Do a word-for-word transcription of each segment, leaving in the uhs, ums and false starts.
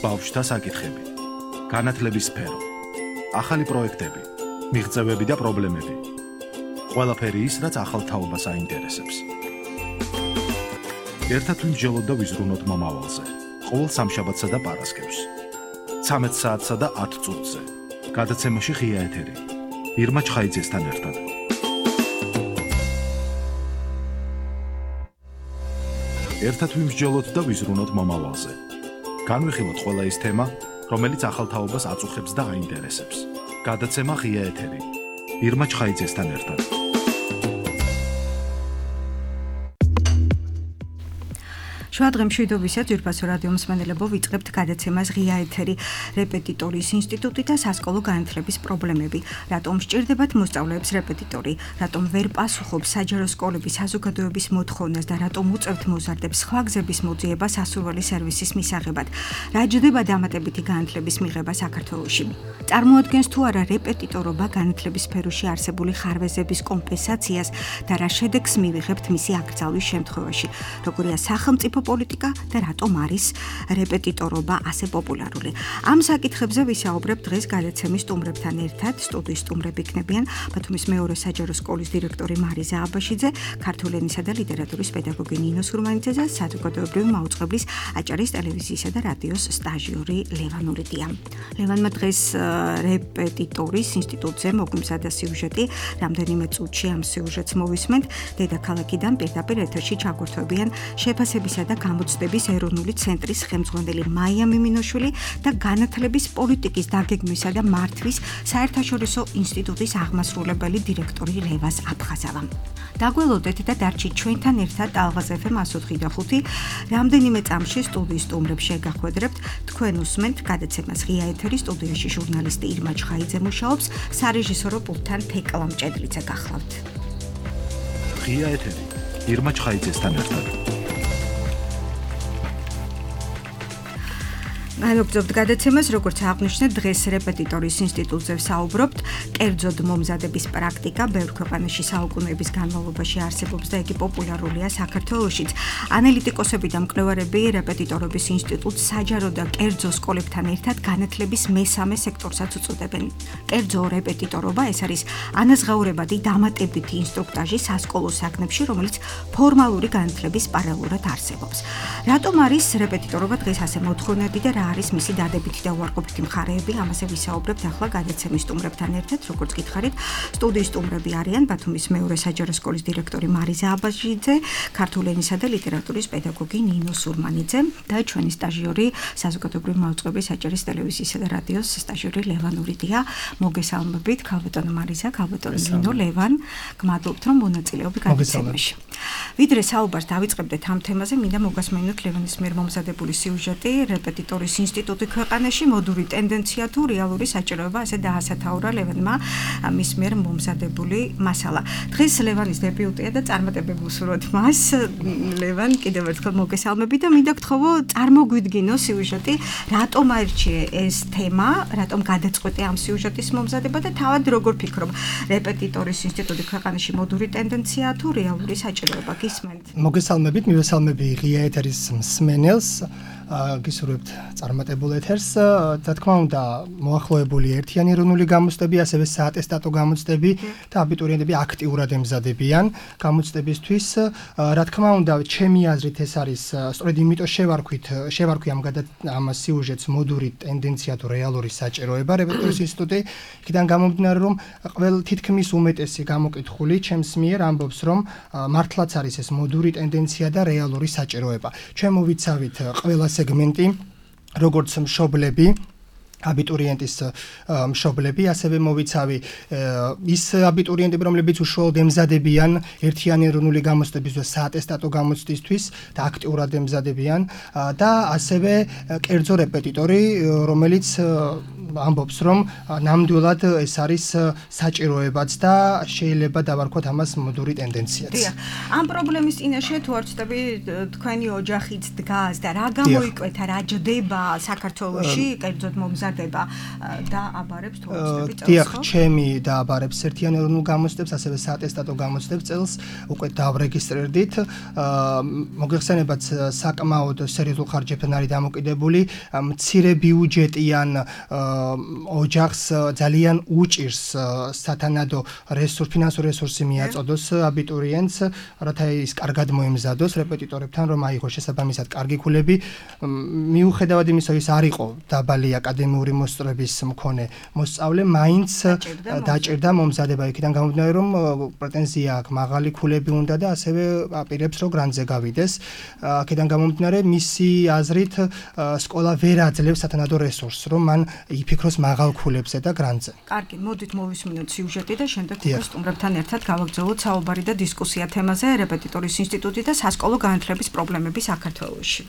ბავშვთა საკითხები, განათლების სფერო, ახალი პროექტები, მიღწევები და პრობლემები. ყველაფერი ის, რაც ახალ თაობას აინტერესებს. ერთად ვიმსჯელოთ და ვიზრუნოთ მომავალზე. ყოველ სამშაბათსა და პარასკევს. ცამეტ საათსა და ათ წუთზე. გადაცემაში ღია ეთერი. ირმა ჩხაიძესთან ერთად. ერთად ვიმსჯელოთ და ვიზრუნოთ მომავალზე. განვიხილოთ ყველა ის თემა, რომელიც ახალ თაობას აწუხებს და აინტერესებს. გადაცემა ღია ეთერი. ირმა ჩხაიძესთან ერთად. შუადღე მშვიდობისა ძვირფასო რადიო მსმენელებო, ვიწყებთ გადაცემას ღია ეთერი. რეპეტიტორის ინსტიტუტი და სასკოლო განათლების პრობლემები. რატომ სჭირდებათ მოსწავლეებს რეპეტიტორი? რატომ ვერ პასუხობს საჯარო სკოლების საზოგადოების მოთხოვნას და რატომ უწევთ მოზარდებს სხვა გზების მოძიება სასურველი სერვისის მისაღებად? რა ჯდება დამატებითი განათლების მიღება საქართველოში? წარმოადგენს თუ არა რეპეტიტორობა განათლების სფეროში არსებული ხარვეზების კომპენსაციას და რა შედეგს მივიღებთ მისი აკრძალვის შემთხვევაში? როგორია სახელმწიფო პოლიტიკა და რატომ არის რეპეტიტორობა ასე პოპულარული? ამ საკითხებზე ვისაუბრებთ დღეს გადაცემის სტუმრებთან ერთად. სტუდიის სტუმრები იქნებიან ბათუმის მეორე საჯარო სკოლის დირექტორი მარიზა აბაშიძე, ქართული ენისა და ლიტერატურის პედაგოგი ნინო სურმანიძე და საზოგადოებრივი მაუწყებლის აჭარის ტელევიზიისა და რადიოს სტაჟიორი ლევან ურიდია. ლევანმა დღეს რეპეტიტორის ინსტიტუტზე მოგვიმზადა სიუჟეტი. რამდენიმე წუთში ამ სიუჟეტს მოვისმენთ. დედაქალაქიდან პირდაპირ ეთერში ჩაგვერთვებიან შეფასებისა და გამოცდების ეროვნული ცენტრის ხელმძღვანელი მაია მიმინოშვილი და განათლების პოლიტიკის დაგეგმვისა და მართვის საერთაშორისო ინსტიტუტის აღმასრულებელი დირექტორი ლევას აფხაზავა. დაგველოდეთ და დარჩით ჩვენთან ერთად ალღაზ ეფ ემ ათს ოთხი და ხუთი. რამდენიმე წამში სტუდიის სტუმრებს შეგახვედრებთ. თქვენ უსმენთ გადაცემას ღია ეთერი. სტუდიაში ჟურნალისტი ირმა ჩხაიძე მუშაობს, სარეჟისორო პულტთან თეკლა მჭედლიძე გახლავთ. ღია ეთერი. ირმა ჩხაიძესთან ერთად. განვაგრძობთ გადაცემას, როგორც აღნიშნეთ, დღეს რეპეტიტორის ინსტიტუტზე ვსაუბრობთ. კერძოდ მომზადების პრაქტიკა ბევრ ქვეყანაში საუკუნეების განმავლობაში არსებობს და იგი პოპულარულია საქართველოშიც. ანალიტიკოსები და მკვლევარები რეპეტიტორობის ინსტიტუტს საჯარო და კერძო სკოლებთან ერთად განათლების მესამე სექტორსაც უწოდებენ. კერძო რეპეტიტორობა ეს არის ანაზღაურებადი დამატებითი ინსტრუქტაჟი სასკოლო საგნებში, რომელიც ფორმალური განათლების პარალელურად არსებობს. რატომ არის რეპეტიტორობა დღეს ასე მოთხოვნადი და რა არის მისი დადებითი და უარყოფითი მხარეები? ამაზე ვისაუბრებთ ახლა გადაცემის სტუმრებთან ერთად. როგორც გითხარით, სტუდიის სტუმრები არიან ბათუმის მეორე საჯარო სკოლის დირექტორი მარიზა აბაშიძე, ქართული ენისა და ლიტერატურის პედაგოგი ნინო სურმანიძე და ჩვენი სტაჟიორი საზოგადოებრივი მაუწყებლის აჭარის ტელევიზიისა და რადიოს სტაჟიორი ლევან ურიდია. მოგესალმებით, ქალბატონო მარიზა, ქალბატონო ნინო, ლევან, გმადლობთ რომ მონაწილეობთ გადაცემაში. ვიდრე საუბარს დავიწყებდეთ ამ თემაზე, მინდა მოგასმენოთ ლევანის მიერ მომზადებული სიუჟეტი. რეპეტიტორის ინსტიტუტი ქვეყანაში მოდური ტენდენცია თუ რეალური საჭიროება, ასე დაასათაურა ლევანმა მის მიერ მომზადებული მასალა. დღეს ლევანის დებიუტია და წარმატებები ვუსურვოთ მას. ლევან, კიდევ ერთხელ მოგესალმები და მინდა გთხოვო, წარმოგვიდგინო სიუჟეტი, რატომ აირჩიე ეს თემა, რატომ გადაწყვეტე ამ სიუჟეტის მომზადება და თავად როგორ ფიქრობ, რეპეტიტორის ინსტიტუტი ქვეყანაში მოდური ტენდენცია თუ რეალური საჭიროება? გისმენთ? მოგესალმებით, მივესალმები ღია ეთერის მსმენელს. გისურვებთ წარმატებულ ეთერს. რა თქმა უნდა, მოახლოებული ერთიანი ეროვნული გამოცდები, ასევე საატესტატო გამოცდები და აბიტურიენტები აქტიურად ემზადებიან გამოცდებისთვის. რა თქმა უნდა, ჩემი აზრით ეს არის სწორედ იმიტომ შევარქვით, შევარქვი ამ ამ სიუჟეტს მოდური ტენდენცია თუ რეალური საჭიროება რეპეტიტორის ინსტიტუტი. იქიდან გამომდინარე, რომ ყველ თითქმის უმეტესი გამოკითხული ჩემს მიერ ამბობს, რომ მართლაც არის ეს მოდური ტენდენცია და რეალური საჭიროება. ჩვენ მოვიცავით ყველა სეგმენტი, როგორც მშობლები, აბიტურიენტის მშობლები, ასევე მოვიცავი ის აბიტურიენტები, რომლებიც უშუალოდ ემზადებიან ერთიანი ეროვნული გამოცდების და საატესტატო გამოცდისთვის და აქტიურად ემზადებიან და ასევე კერძო რეპეტიტორი, რომელიც ამბობს, რომ ნამდვილად ეს არის საჭიროებაც და შეიძლება დავარქვათ ამას მოდური ტენდენციაც. დიახ. ამ პრობლემის წინაშე თუ არ ვცდები, თქვენი ოჯახიც დგას და რა გამოიკვეთა, რა ჯდება საქართველოში, კერძოდ მომზადება და აბარებს თუ არ ვცდები წელს. დიახ, ჩემი და აბარებს ერთიან ეროვნულ გამოცდებს, ასევე საატესტატო გამოცდებს წელს უკვე დავრეგისტრირდით. მოგეხსენებათ, საკმაოდ სერიოზულ ხარჯებთან არის დამოკიდებული. მცირე ბიუჯეტიან ოჯახს ძალიან უჭირს სათანადო რესურს, ფინანსური რესურსი მიაწოდოს აბიტურიენტს, რათა ის კარგად მოემზადოს რეპეტიტორებთან, რომ აიღოს შესაბამისად კარგი ქულები. მიუხედავად იმისა, ის არ იყო დაბალი აკადემიური მოსწრების მქონე მოსწავლე, მაინც დაჭირდა მომზადება იქიდან გამომდინარე, რომ პრეტენზია აქვს, მაღალი ქულები უნდა და ასევე აპირებს, რომ გრანტზე გავიდეს. აქედან გამომდინარე, მისი აზრით სკოლა ვერ აძლევს სათანადო რესურსს, რომ მან იფიქროს მაღალ ქულებზე და გრანტზე. კარგი, მოდით მოვისმინოთ სიუჟეტი და შემდეგ უკვე სტუმრებთან ერთად გავაგრძელოთ საუბარი და დისკუსია თემაზე რეპეტიტორის ინსტიტუტი და სასკოლო განათლების პრობლემები საქართველოში.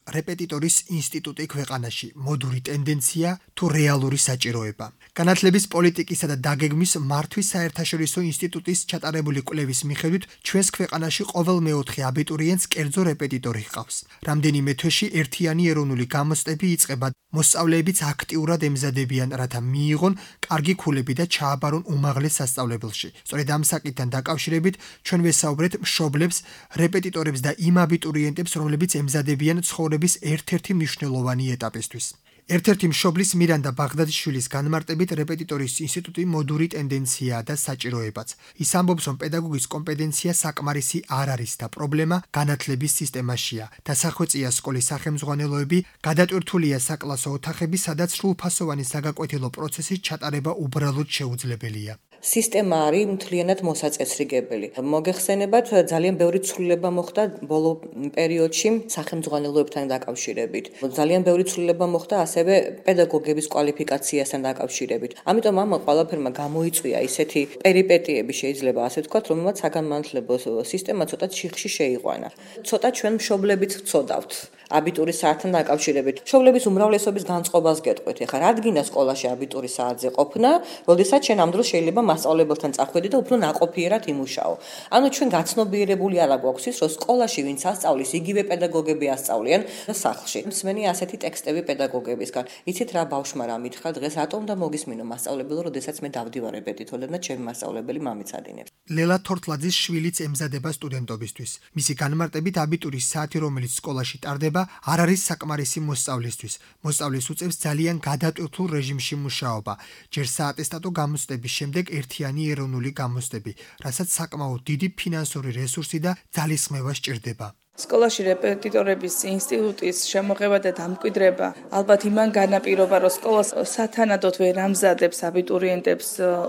რეპეტიტორის ინსტიტუტი ქვეყანაში მოდური ტენდენცია თუ რეალური საჭიროება. განათლების პოლიტიკისა და დაგეგმვის მართვის საერთაშორისო ინსტიტუტის ჩატარებული კვლევის მიხედვით ჩვენს ქვეყანაში ყოველ მეოთხე აბიტურიენტს კერძო რეპეტიტორი ჰყავს. რამდენიმე თვეში ერთიანი ეროვნული გამოცდები იწყება. მოსწავლეებიც აქტიურად ემზადებიან, რათა მიიღონ კარგი ქულები და ჩააბარონ უმაღლეს სასწავლებელში. სწორედ ამ საკითხთან დაკავშირებით ჩვენ ვესაუბრეთ მშობლებს, რეპეტიტორებს და იმ აბიტურიენტებს, რომლებიც ემზადებიან ცხოვრების ერთ-ერთი მნიშვნელოვანი ეტაპისთვის. ერთ-ერთი მშობლის მირანდა ბაღდადიშვილის განმარტებით რეპეტიტორის ინსტიტუტი მოდური ტენდენციაა და საჭიროებაც. ის ამბობს, რომ პედაგოგის კომპეტენცია საკმარისი არ არის და პრობლემა განათლების სისტემაშია. დასახვეწია სკოლის სახელმძღვანელოები, გადატვირთულია საკლასო ოთახები, სადაც სრულფასოვანი საგაკვეთილო პროცესის ჩატარება უბრალოდ შეუძლებელია. სისტემა არის მთლიანად მოსაწესრიგებელი. მოგეხსენებათ, ძალიან ბევრი ცვლილება მოხდა ბოლო პერიოდში სახელმძღვანელოებთან დაკავშირებით. ძალიან ბევრი ცვლილება მოხდა ასევე პედაგოგების კვალიფიკაციასთან დაკავშირებით. ამიტომ ამ ყველაფერმა გამოიწვია ისეთი პერიპეტიები, შეიძლება ასე ვთქვათ, რომელმაც საგანმანათლებლო სისტემა ცოტა ჩიხში შეიყვანა. ცოტა ჩვენ მშობლებიც ვწოდავთ აბიტურის საათთან დაკავშირებით. მშობლების უმრავლესობის განწყობას გეტყვით. ეხლა რადგინა სკოლაში აბიტურის საათზე ყოფნა, როდესაც შენ ამ დროს შეიძლება მასწავლებელთან წახვედი და უფრო ნაყოფიერად იმუშაო. ანუ ჩვენ გაცნობიერებული არა გვაქვს ის, რომ სკოლაში ვინც ასწავლის, იგივე პედაგოგები ასწავლიან სახლში. მსმენი ასეთი ტექსტები პედაგოგებისგან. იცით რა ბავშვმა რა მითხრა დღეს, რატომ და მოგისმინო მასწავლებელო, როდესაც მე დავდივარ რეპეტიტორად და ჩემი მასწავლებელი მამიცადინებს. ლელა თორთლაძის შვილიც ემზადება სტუდენტობისთვის. მისი განმარტებით აბიტურის საათი, რომელიც სკოლაში ტარდება, არ არის საკმარისი მოსწავლისთვის. მოსწავლის უწევს ძალიან გადატვირთულ რეჟიმში მუშაობა. ჯერ საატესტატო გამოცდების შემდეგ ერთიანი ეროვნული გამოცდები, რასაც საკმაოდ დიდი ფინანსური რესურსი და ძალისხმევა სჭირდება. სკოლაში რეპეტიტორების ინსტიტუტის შემოღება და დამკვიდრება ალბათ იმან განაპირობა, რომ სკოლა სათანადოდ ვერ ამზადებს აბიტურიენტებს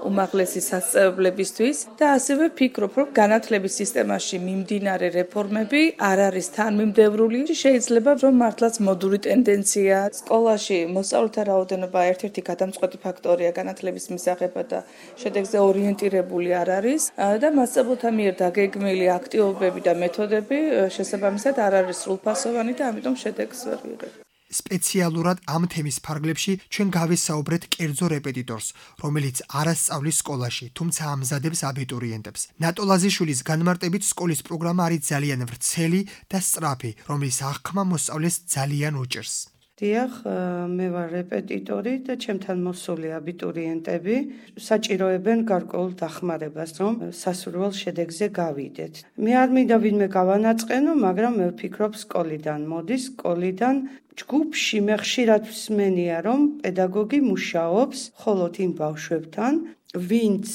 უმაღლესი სასწავლებლებისთვის და ასევე ვფიქრობ, რომ განათლების სისტემაში მიმდინარე რეფორმები არ არის თანმიმდევრული. შეიძლება რომ მართლაც მოდური ტენდენცია სკოლაში მოსწავლეთა რაოდენობა ერთ-ერთი გადამწყვეტი ფაქტორია განათლების მისაღებად და შედეგზე ორიენტირებული არ არის და მასწავლებლთა მიერ დაგეგმილი აქტივობები და მეთოდები შესაბამისად არ არის სრულფასოვანი და ამიტომ შედეგს ვერ ვიღებ. სპეციალურად ამ თემის ფარგლებში ჩვენ გავესაუბრეთ კერძო რეპეტიტორს, რომელიც არ ასწავლის სკოლაში, თუმცა ამზადებს აბიტურიენტებს. ნატოლაზიშვილის განმარტებით სკოლის პროგრამა არის ძალიან ვრცელი და სწრაფი, რომლის აღქმა მოსწავლეს ძალიან უჭირს. დიახ, მე ვარ რეპეტიტორი და ჩემთან მოსული აბიტურიენტები საჭიროებენ გარკვეულ დახმარებას, რომ სასურველ შედეგზე გავიდეთ. მე არ მინდა ვინმე გავანაწყენო, მაგრამ მე ვფიქრობ სკოლიდან მოდის, სკოლიდან ჯგუფში მე ხშირად ვსმენია, რომ პედაგოგი მუშაობს მხოლოდ იმ ბავშვებთან, ვინც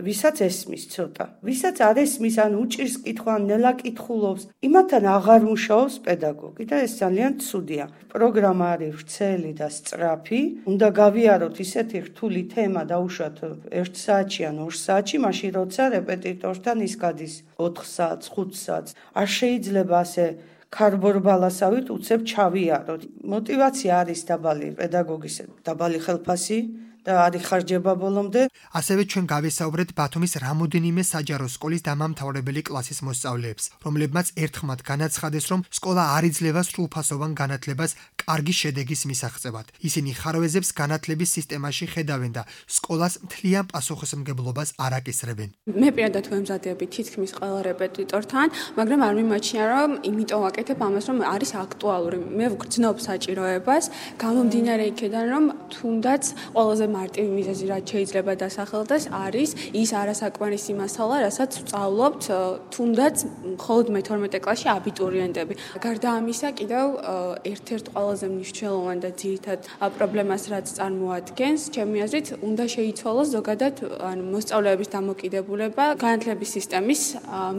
ვისაც ესმის ცოტა, ვისაც არ ესმის, ან უჭირს კითხვა, ნელა კითხულობს, იმათთან აღარ მუშაობს პედაგოგი და ეს ძალიან ცუდია. პროგრამა არის ვრცელი და სწრაფი, უნდა გავიაროთ ისეთი რთული თემა დაუშვათ ერთ საათში ან ორ საათში, მაშინ როცა რეპეტიტორთან ის გადის ოთხ საათს, ხუთ საათს. არ შეიძლება ასე ქარბორბალასავით უცებ ჩავიაროთ. მოტივაცია არის დაბალი პედაგოგის, დაბალი ხელფასი და არის ხარჯება ბოლომდე. ასევე ჩვენ გავესაუბრეთ ბათუმის რამოდენიმე საჯარო სკოლის დამამთავრებელი კლასის მოსწავლეებს, რომლებმაც ერთხმად განაცხადეს, რომ სკოლა არ იძლევა სრულფასოვან განათლებას კარგი შედეგის მისაღწევად. ისინი ხარვეზებს განათლების სისტემაში ხედავენ და სკოლას მთლიან პასუხისმგებლობას არ აკისრებენ. მე პირადად ვემზადები თითქმის ყველა რეპეტიტორთან, მაგრამ არ მიმაჩნია, რომ იმიტომ ვაკეთებ ამას, რომ არის აქტუალური. მე ვგრძნობ საჭიროებას, გამომდინარე იქედან, რომ თუნდაც ყველაზე მარტივი მიზეზი, რაც შეიძლება დასახელდეს, არის ის არასაკმარისი მასალა, რასაც ვსწავლობთ თუნდაც მხოლოდ მეთორმეტე კლასში აბიტურიენტები. გარდა ამისა, კიდევ ერთ-ერთ ყველაზე მნიშვნელოვანი და ძირითად პრობლემას, რაც წარმოადგენს, ჩემი აზრით, უნდა შეიცვალოს ზოგადად ანუ მოსწავლეების დამოკიდებულება განათლების სისტემის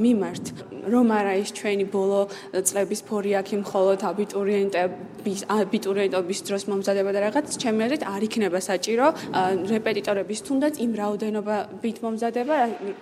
მიმართ. რომ არა ის ჩვენი ბოლო წლების ფორიაქი მხოლოდ აბიტურიენტების აბიტურიენტობის დროს მომზადება და რაღაც, ჩემი აზრით, არ იქნება საჭირო რეპეტიტორების თუნდაც იმ რაოდენობით მომზადება,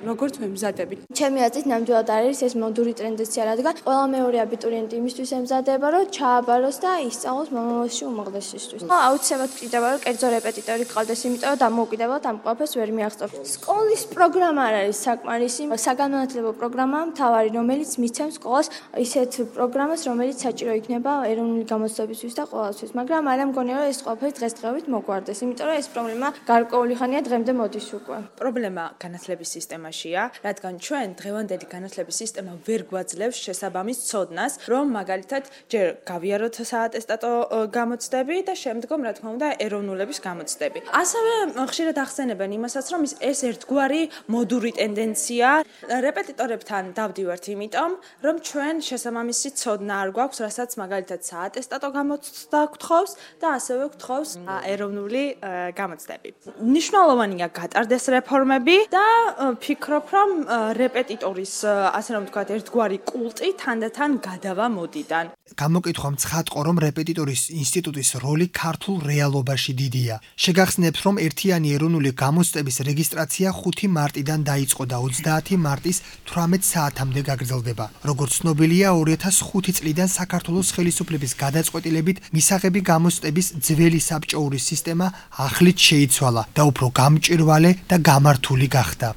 როგორც ვემზადებით. ჩემი აზრით, ნამდვილად არის ეს მოდური ტენდენცია, რადგან ყველა მეორე აბიტურიენტი იმისთვის ემზადება, რომ ჩააბაროს და ისწავლოს მომავალში უმაღლესისთვის. აუცილებლად გვჭირდება, რომ კერძო რეპეტიტორი გყავდეს, იმიტომ რომ დამოუკიდებლად ამ ყველაფერს ვერ მიაღწევს. სკოლის პროგრამა არ არის საკმარისი, საგანმანათლებლო პროგრამაა მთავარი, რომელიც მიცემს სკოლას ისეთ პროგრამას, რომელიც საჭირო იქნება ეროვნული გამოცდებისთვის და ყველასთვის. მაგრამ არ ამგონია, რომ ეს ყველაფერი დღესდღეობით მოგვარდეს, იმიტომ რომ ეს პრობლემა გარკვეული ხანია დღემდე მოდის უკვე. პრობლემა განათლების სისტემაშია, რადგან ჩვენ დღევანდელი განათლების სისტემა ვერ გვაძლევს შესაბამის ცოდნას, რომ მაგალითად ჯერ გავიაროთ საატესტატო გამოცდები და შემდგომ, რა თქმა უნდა, ეროვნულების გამოცდები. ასევე ხშირად ახსენებენ იმასაც, რომ ეს ერთგვარი მოდური ტენდენცია რეპეტიტორებთან დავდივართ, იმიტომ რომ ჩვენ შესაბამისი ცოდნა არ გვაქვს, რასაც მაგალითად საატესტატო გამოცდა გთხოვს და ასევე გთხოვს ეროვნული გამოცდები. მნიშვნელოვანია გატარდეს რეფორმები და ფიქრობ, რომ რეპეტიტორის, ასე რომ ვთქვათ, ერთგვარი კულტი თანდათან გადავა მოდიდან. გამოკითხვა მცხადყო, რომ რეპეტიტორის ინსტიტუტის როლი ქართულ რეალობაში დიდია. შეგახსნებთ, რომ ერთიანი ეროვნული გამოცდების რეგისტრაცია ხუთი მარტიდან დაიწყო და ოცდაათი მარტის თვრამეტ საათამდე გაგრძელდება. როგორც ცნობილია, ორი ათას ხუთი წლიდან საქართველოს ხელისუფლების გადაწყვეტილებით მისაღები გამოცდების ძველი საბჭოური სისტემა ახლით შეიცვალა და უფრო გამჭვირვალე და გამართული გახდა.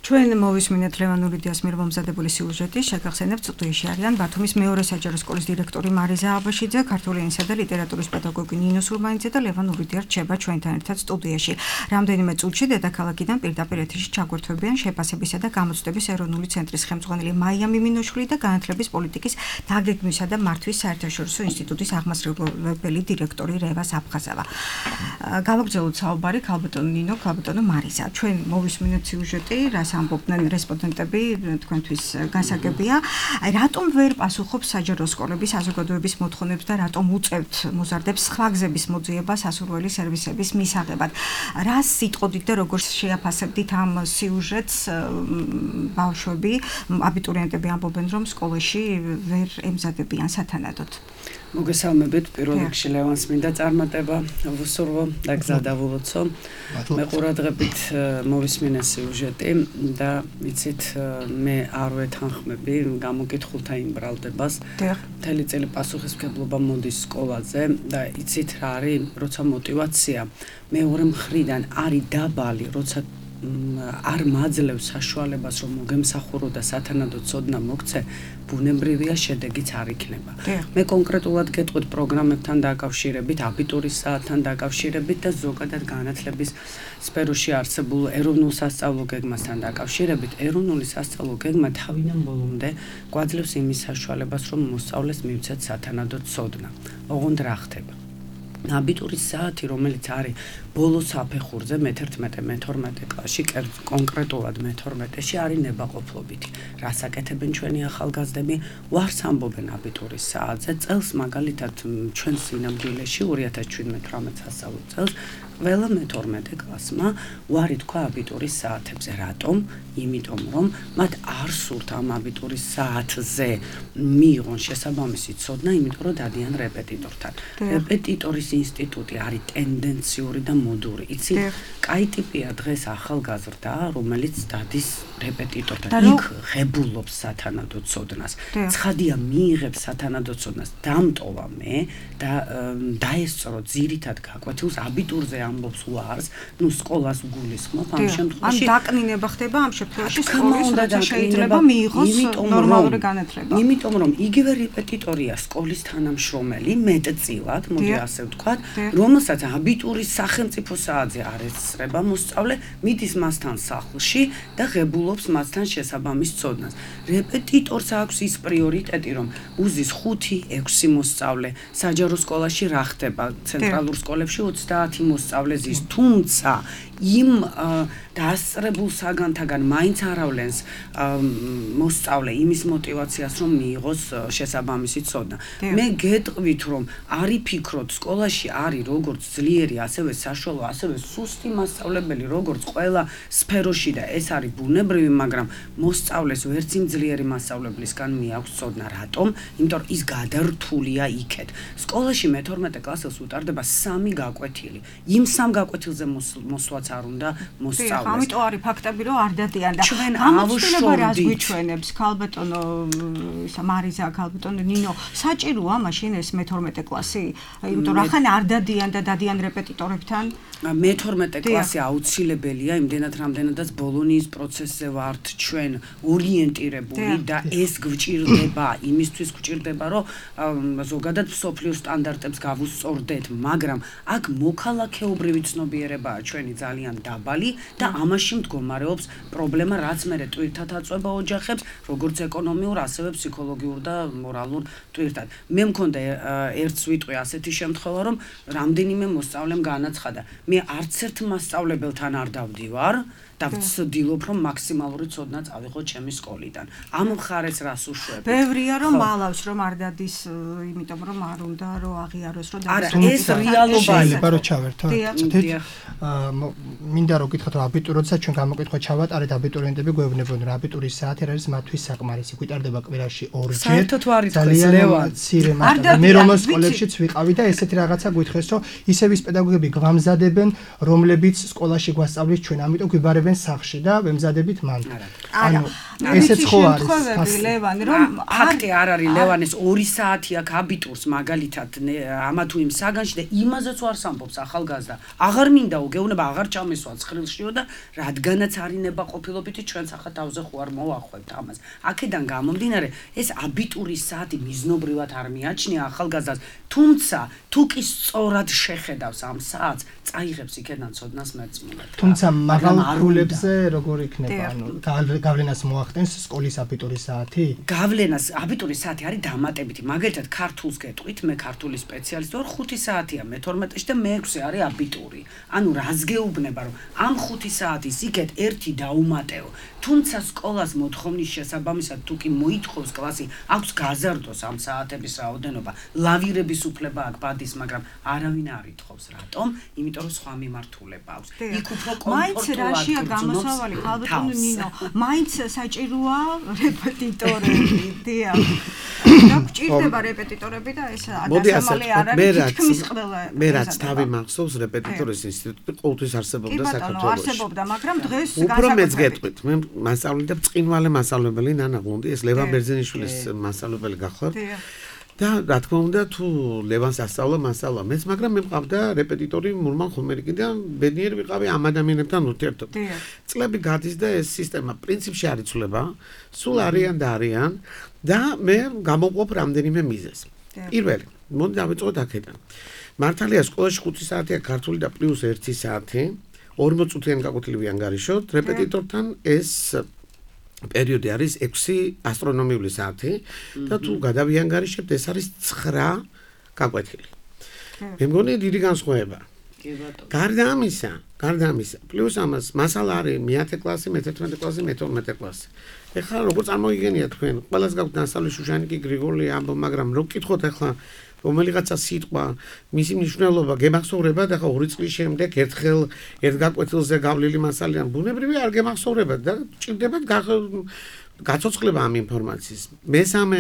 ჩვენ მოვისმინეთ ლევან ურიდიას მიერ მომზადებული სიუჟეტი, შეგახსენებთ, სტუდიაში არიან ბათუმის მეორე საჯარო სკოლის დირექტორი მარიზა აბაშიძე, ქართული ენისა და ლიტერატურის პედაგოგი ნინო სურმანიძე და ლევან ურიდია რჩება ჩვენთან ერთად სტუდიაში. რამდენიმე წუთში დედაქალაქიდან პირდაპირ ეთერში ჩაგვერთვებიან შეფასებისა და გამოცდების ეროვნული ცენტრის ხელმძღვანელი მაია მიმინოშვილი და განათლების პოლიტიკის დაგეგმვისა და მართვის საერთაშორისო ინსტიტუტის აღმასრულებელი დირექტორი რევა საფხაზავა. გავაგრძელოთ საუბარი ქალბატონო ნინო, ქალბატონო მარიზა. ჩვენ მოვისმინეთ სიუჟეტი, რას ამბობდნენ რესპონდენტები, თქვენთვის გასაგებია. რატომ ვერ პასუხობს საჯარო სკოლების საზოგადოების მოთხოვნებს და რატომ უწევთ მოზარდებს სხვა გზების მოძიება სასურველი სერვისების მისაღებად? რას იტყოდით და როგორ შეაფასებდით ამ სიუჟეტს? ბავშვები, აბიტურიენტები ამბობენ, რომ სკოლაში ვერ ემზადებიან სათანადოდ. მოგესალმებით, პირველ რიგში ლევანს მინდა წარმატება ვუსურვო და გზა დავულოცო. მე ყურადღებით მოვისმინე სიუჟეტი და იცით მე არ ვეთანხმები გამოკითხულთა იმ ბრალდებას. მთელი წელი პასუხისმგებლობა მოდის სკოლაზე და იცით რა არის, როცა мотиваცია მეორე მხრიდან არის დაბალი, როცა არ მაძლევს საშუალებას, რომ მოგემსახურო და სათანადო ცოდნა მოგცე, ბუნებრივია შედეგიც არ იქნება. მე კონკრეტულად გეტყვით პროგრამებთან დაკავშირებით, აბიტურის საათთან დაკავშირებით და ზოგადად განათლების სფეროში არსებულ ეროვნულ სასწავლო გეგმასთან დაკავშირებით. ეროვნული სასწავლო გეგმა თავიდან ბოლომდე გვაძლევს იმის საშუალებას, რომ მოსწავლეს მივცეთ სათანადო ცოდნა. ოღონდ რა ხდება? აბიტურის საათი, რომელიც არის ბოლო საფეხურზე მეთერთმეტე მეთორმეტე კლასში, კონკრეტულად მეთორმეტეში არის ნებაყოფლობითი. რას აკეთებენ ჩვენი ახალგაზრდები? ვარს ამბობენ აბიტურის საათზე. წელს მაგალითად ჩვენ სინამდვილეში ორი ათას შვიდმეტ-თვრამეტ სასწავლო წელს ყველა მეთორმეტე კლასმა ვარი თქვა აბიტურის საათებზე. რატომ? იმიტომ რომ მათ არ სურთ ამ აბიტურის საათზე მიიღონ შესაბამისი ცოდნა, იმიტომ რომ დადიან რეპეტიტორთან. რეპეტიტორის ინსტიტუტი არის ტენდენციური და მოდური. იცი, კაი ტიპია დღეს ახალგაზრდა, რომელიც დადის რეპეტიტორთან. იქ ღებულობს სათანადო ცოდნას. ცხადია მიიღებს სათანადო ცოდნას. დამტოვა მე და დაესწრო ძირითად გაკვეთილს აბიტურზე ამბობს უარს, ну სკოლას გულისხმობ ამ შემთხვევაში. ან დაკნინება ხდება ამ შემთხვევაში სკოლის როცა შეიძლება მიიღოს ნორმალური განათლება. იმიტომ რომ იგივე რეპეტიტორია სკოლის თანამშრომელი მეტწილად, მოდი ასე ვთქვათ, რომელსაც აბიტურის სახელმწიფო საათზე არ ესწრება მოსწავლე, მიდის მასთან სახლში და ღებულობს მასთან შესაბამის ცოდნას. რეპეტიტორს აქვს ის პრიორიტეტი, რომ უზის ხუთი, ექვსი მოსწავლე, საჯარო სკოლაში რა ხდება, ცენტრალურ სკოლებში ოცდაათი მოსწავლე ზის, თუმცა იმ დასწრებულ საგანთაგან მაინც არავლენს მოსწავლე იმის мотиваციას, რომ მიიღოს შესაბამისი ცოდნა. მე გეტყვით, რომ არი ფიქრობთ, სკოლაში არის როგორც ძლიერი, ასევე საშუალო, ასევე სუსტი მასწავლებელი, როგორც ყველა სფეროში და ეს არის ბუნებრივი, მაგრამ მოსწავლეს ვერც იმ ძლიერი მასწავლებლისგან მიაქვს ცოდნა. რატომ? იმიტომ რომ ის გადართულია იქეთ. სკოლაში მეთორმეტე კლასელს უტარდება სამი გაკვეთილი. იმ სამ გაკვეთილზე მოსვლაც არ უნდა მოსწავლეს. ამიტომ არის ფაქტები, რომ არ დადიან და ჩვენ ამოშვილება რას გვიჩვენებს, ქალბატონო ისა მარიზა, ქალბატონო ნინო, საჭიროა მაშინ ეს მეთორმეტე კლასი? იმიტომ რომ ახლა არ დადიან და დადიან რეპეტიტორებთან. მეთორმეტე კლასი აუცილებელია, იმდენად რამდენადაც ბოლონიის პროცესზე ვართ ჩვენ ორიენტირებული და ეს გვჭირდება, იმისთვის გვჭირდება, რომ ზოგადად მსოფლიოს სტანდარტებს გავუსწორდეთ, მაგრამ აქ მოქალაქეობრივი ცნობიერებაა ჩვენი ძალიან დაბალი და ამაში მდგომარეობს პრობლემა, რაც მერე ტვირთად აწვება ოჯახებს, როგორც ეკონომიურ, ასევე ფსიქოლოგიურ და მორალურ ტვირთად. მე მქონდა ერთს ვიტყვი ასეთი შემთხვევა, რომ რამდენიმე მოსწავლემ განაცხადა, მე არც ერთ მასწავლებელთან არ დავდივარ და ვცდილობ, რომ მაქსიმალური ცოდნა წავიღო ჩემი სკოლიდან. ამ მხარეს რას უშვებ? ბევრია რომ მალავს, რომ არ დადის, იმიტომ რომ არ უნდა რომ აღიაროს, რომ არა, ეს რეალობაა. შეიძლება რომ ჩავერთო. მინდა რომ გითხრათ, რომ აბიტურიენტსაც ჩვენ გამოკითხვა ჩავატარეთ, აბიტურიენტები გვეუბნებოდნენ, რომ აბიტურის საათი არის მათთვის საკმარისი, გვიტარდება კვირაში ორჯერ. საერთოდ არ ითქვეს ლევან. მე რომ სკოლებშიც ვიყავი და ესეთი რაღაცა გითხრეს, რომ ისევ ის პედაგოგები გვამზადებენ, რომლებიც სკოლაში გვასწავლის ჩვენ, ამიტომ გვიბარებენ სახში და ვემზადებით მან. ანუ ესეც ხო არის ლევან, რომ ფაქტი არ არის ლევანეს ორი საათი აქვს აბიტურს მაგალითად ამა თუ იმ საგანში და იმაზეც ვარ სამბობს ახალგაზრდა. აღარ მინდაო, გეუბნება აღარ ჩამესვა ცხრილშიო და რადგანაც არინება ყოფილობითი ჩვენ სახა თავზე ხო არ მოვახვევთ ამას. აქედან გამომდინარე, ეს აბიტურის საათი მიზნობრივად არ მიაჩნია ახალგაზრდას, თუმცა თუ კი სწორად შეხედავს ამ საათს, წაიღებს იქედან ცოდნას მერწმუნად. თუმცა მაგრამ ქულებზე როგორ იქნება, ანუ გავლენას მოახდენს სკოლის აბიტურის საათი? გავლენას აბიტურის საათი არის დამატებითი. მაგალითად, ქართულს გეტყვით, მე ქართული სპეციალისტი ვარ, ხუთი საათია მეთორმეტეში და მეექვსე არის აბიტური. ანუ რას გეუბნება, რომ ამ ხუთი საათის იქეთ ერთი დაუმატეო. თუმცა სკოლას მოთხოვნის შესაბამისად თუ კი მოითხოვს კლასი, აქვს გაზარდოს ამ საათების რაოდენობა, ლავირების უფლება აქვს ბადის, მაგრამ არავინ არ ითხოვს. რატომ? იმიტომ რომ სხვა მიმართულება აქვს. იქ უფრო კომფორტულად რაშია გამოსავალი, ქალბატონო ნინო, მაინც საჭიროა რეპეტიტორები, დიახ. და გვჭირდება რეპეტიტორები და ეს დასამალი არ არის თითქმის ყველა. მე რაც თავი მახსოვს, რეპეტიტორის ინსტიტუტი ყოველთვის არსებობდა საქართველოში. არსებობდა, მაგრამ დღეს უფრო მეც გეტყვით, მე მასწავლე და ბრწყინვალე მასწავლებელი ნანა გუნდი, ეს ლევან ბერძენიშვილის მასწავლებელი გახლავთ. და რა თქმა უნდა, თუ ლევანს ასწავლა, მასწავლა მეც, მაგრამ მე მყავდა რეპეტიტორი მურმან ხომერიკი და ბედნიერი ვიყავი ამ ადამიანებთან ურთიერთობ. წლები გადის და ეს სისტემა პრინციპში არ იცვლება, სულ არიან და არიან და მე გამოვყოფ რამდენიმე მიზეზს. პირველი, მოდი დავიწყოთ აქედან. მართალია სკოლაში ხუთი საათია ქართული და პლუს ერთი საათი, ორმოწუთიანი გაკვეთილი ანგარიშოთ, რეპეტიტორთან ეს პერიოდი არის ექვსი ასტრონომიული საათი და თუ გადავიანგარიშებთ, ეს არის ცხრა გაკვეთილი. მე მგონი დიდი განსხვავება. გარდა ამისა, გარდა ამისა, პლუს ამას მასალა არის მეათე კლასი, მეთერთმეტე კლასი, მეთორმეტე კლასი. ეხლა როგორ წარმოგიგენია თქვენ, ყველას გაქვთ ნასწავლი შუშანიკი გრიგოლი ამბო, მაგრამ რო გკითხოთ ეხლა რომელიღაცა სიტყვა, მისი მნიშვნელობა გემახსოვრებათ, ახლა ორი წლის შემდეგ ერთხელ ერთ გაკვეთილზე გავლილი მასალა ბუნებრივი არ გემახსოვრებათ და ჭირდებათ გაცოცხლება ამ ინფორმაციის. მესამე,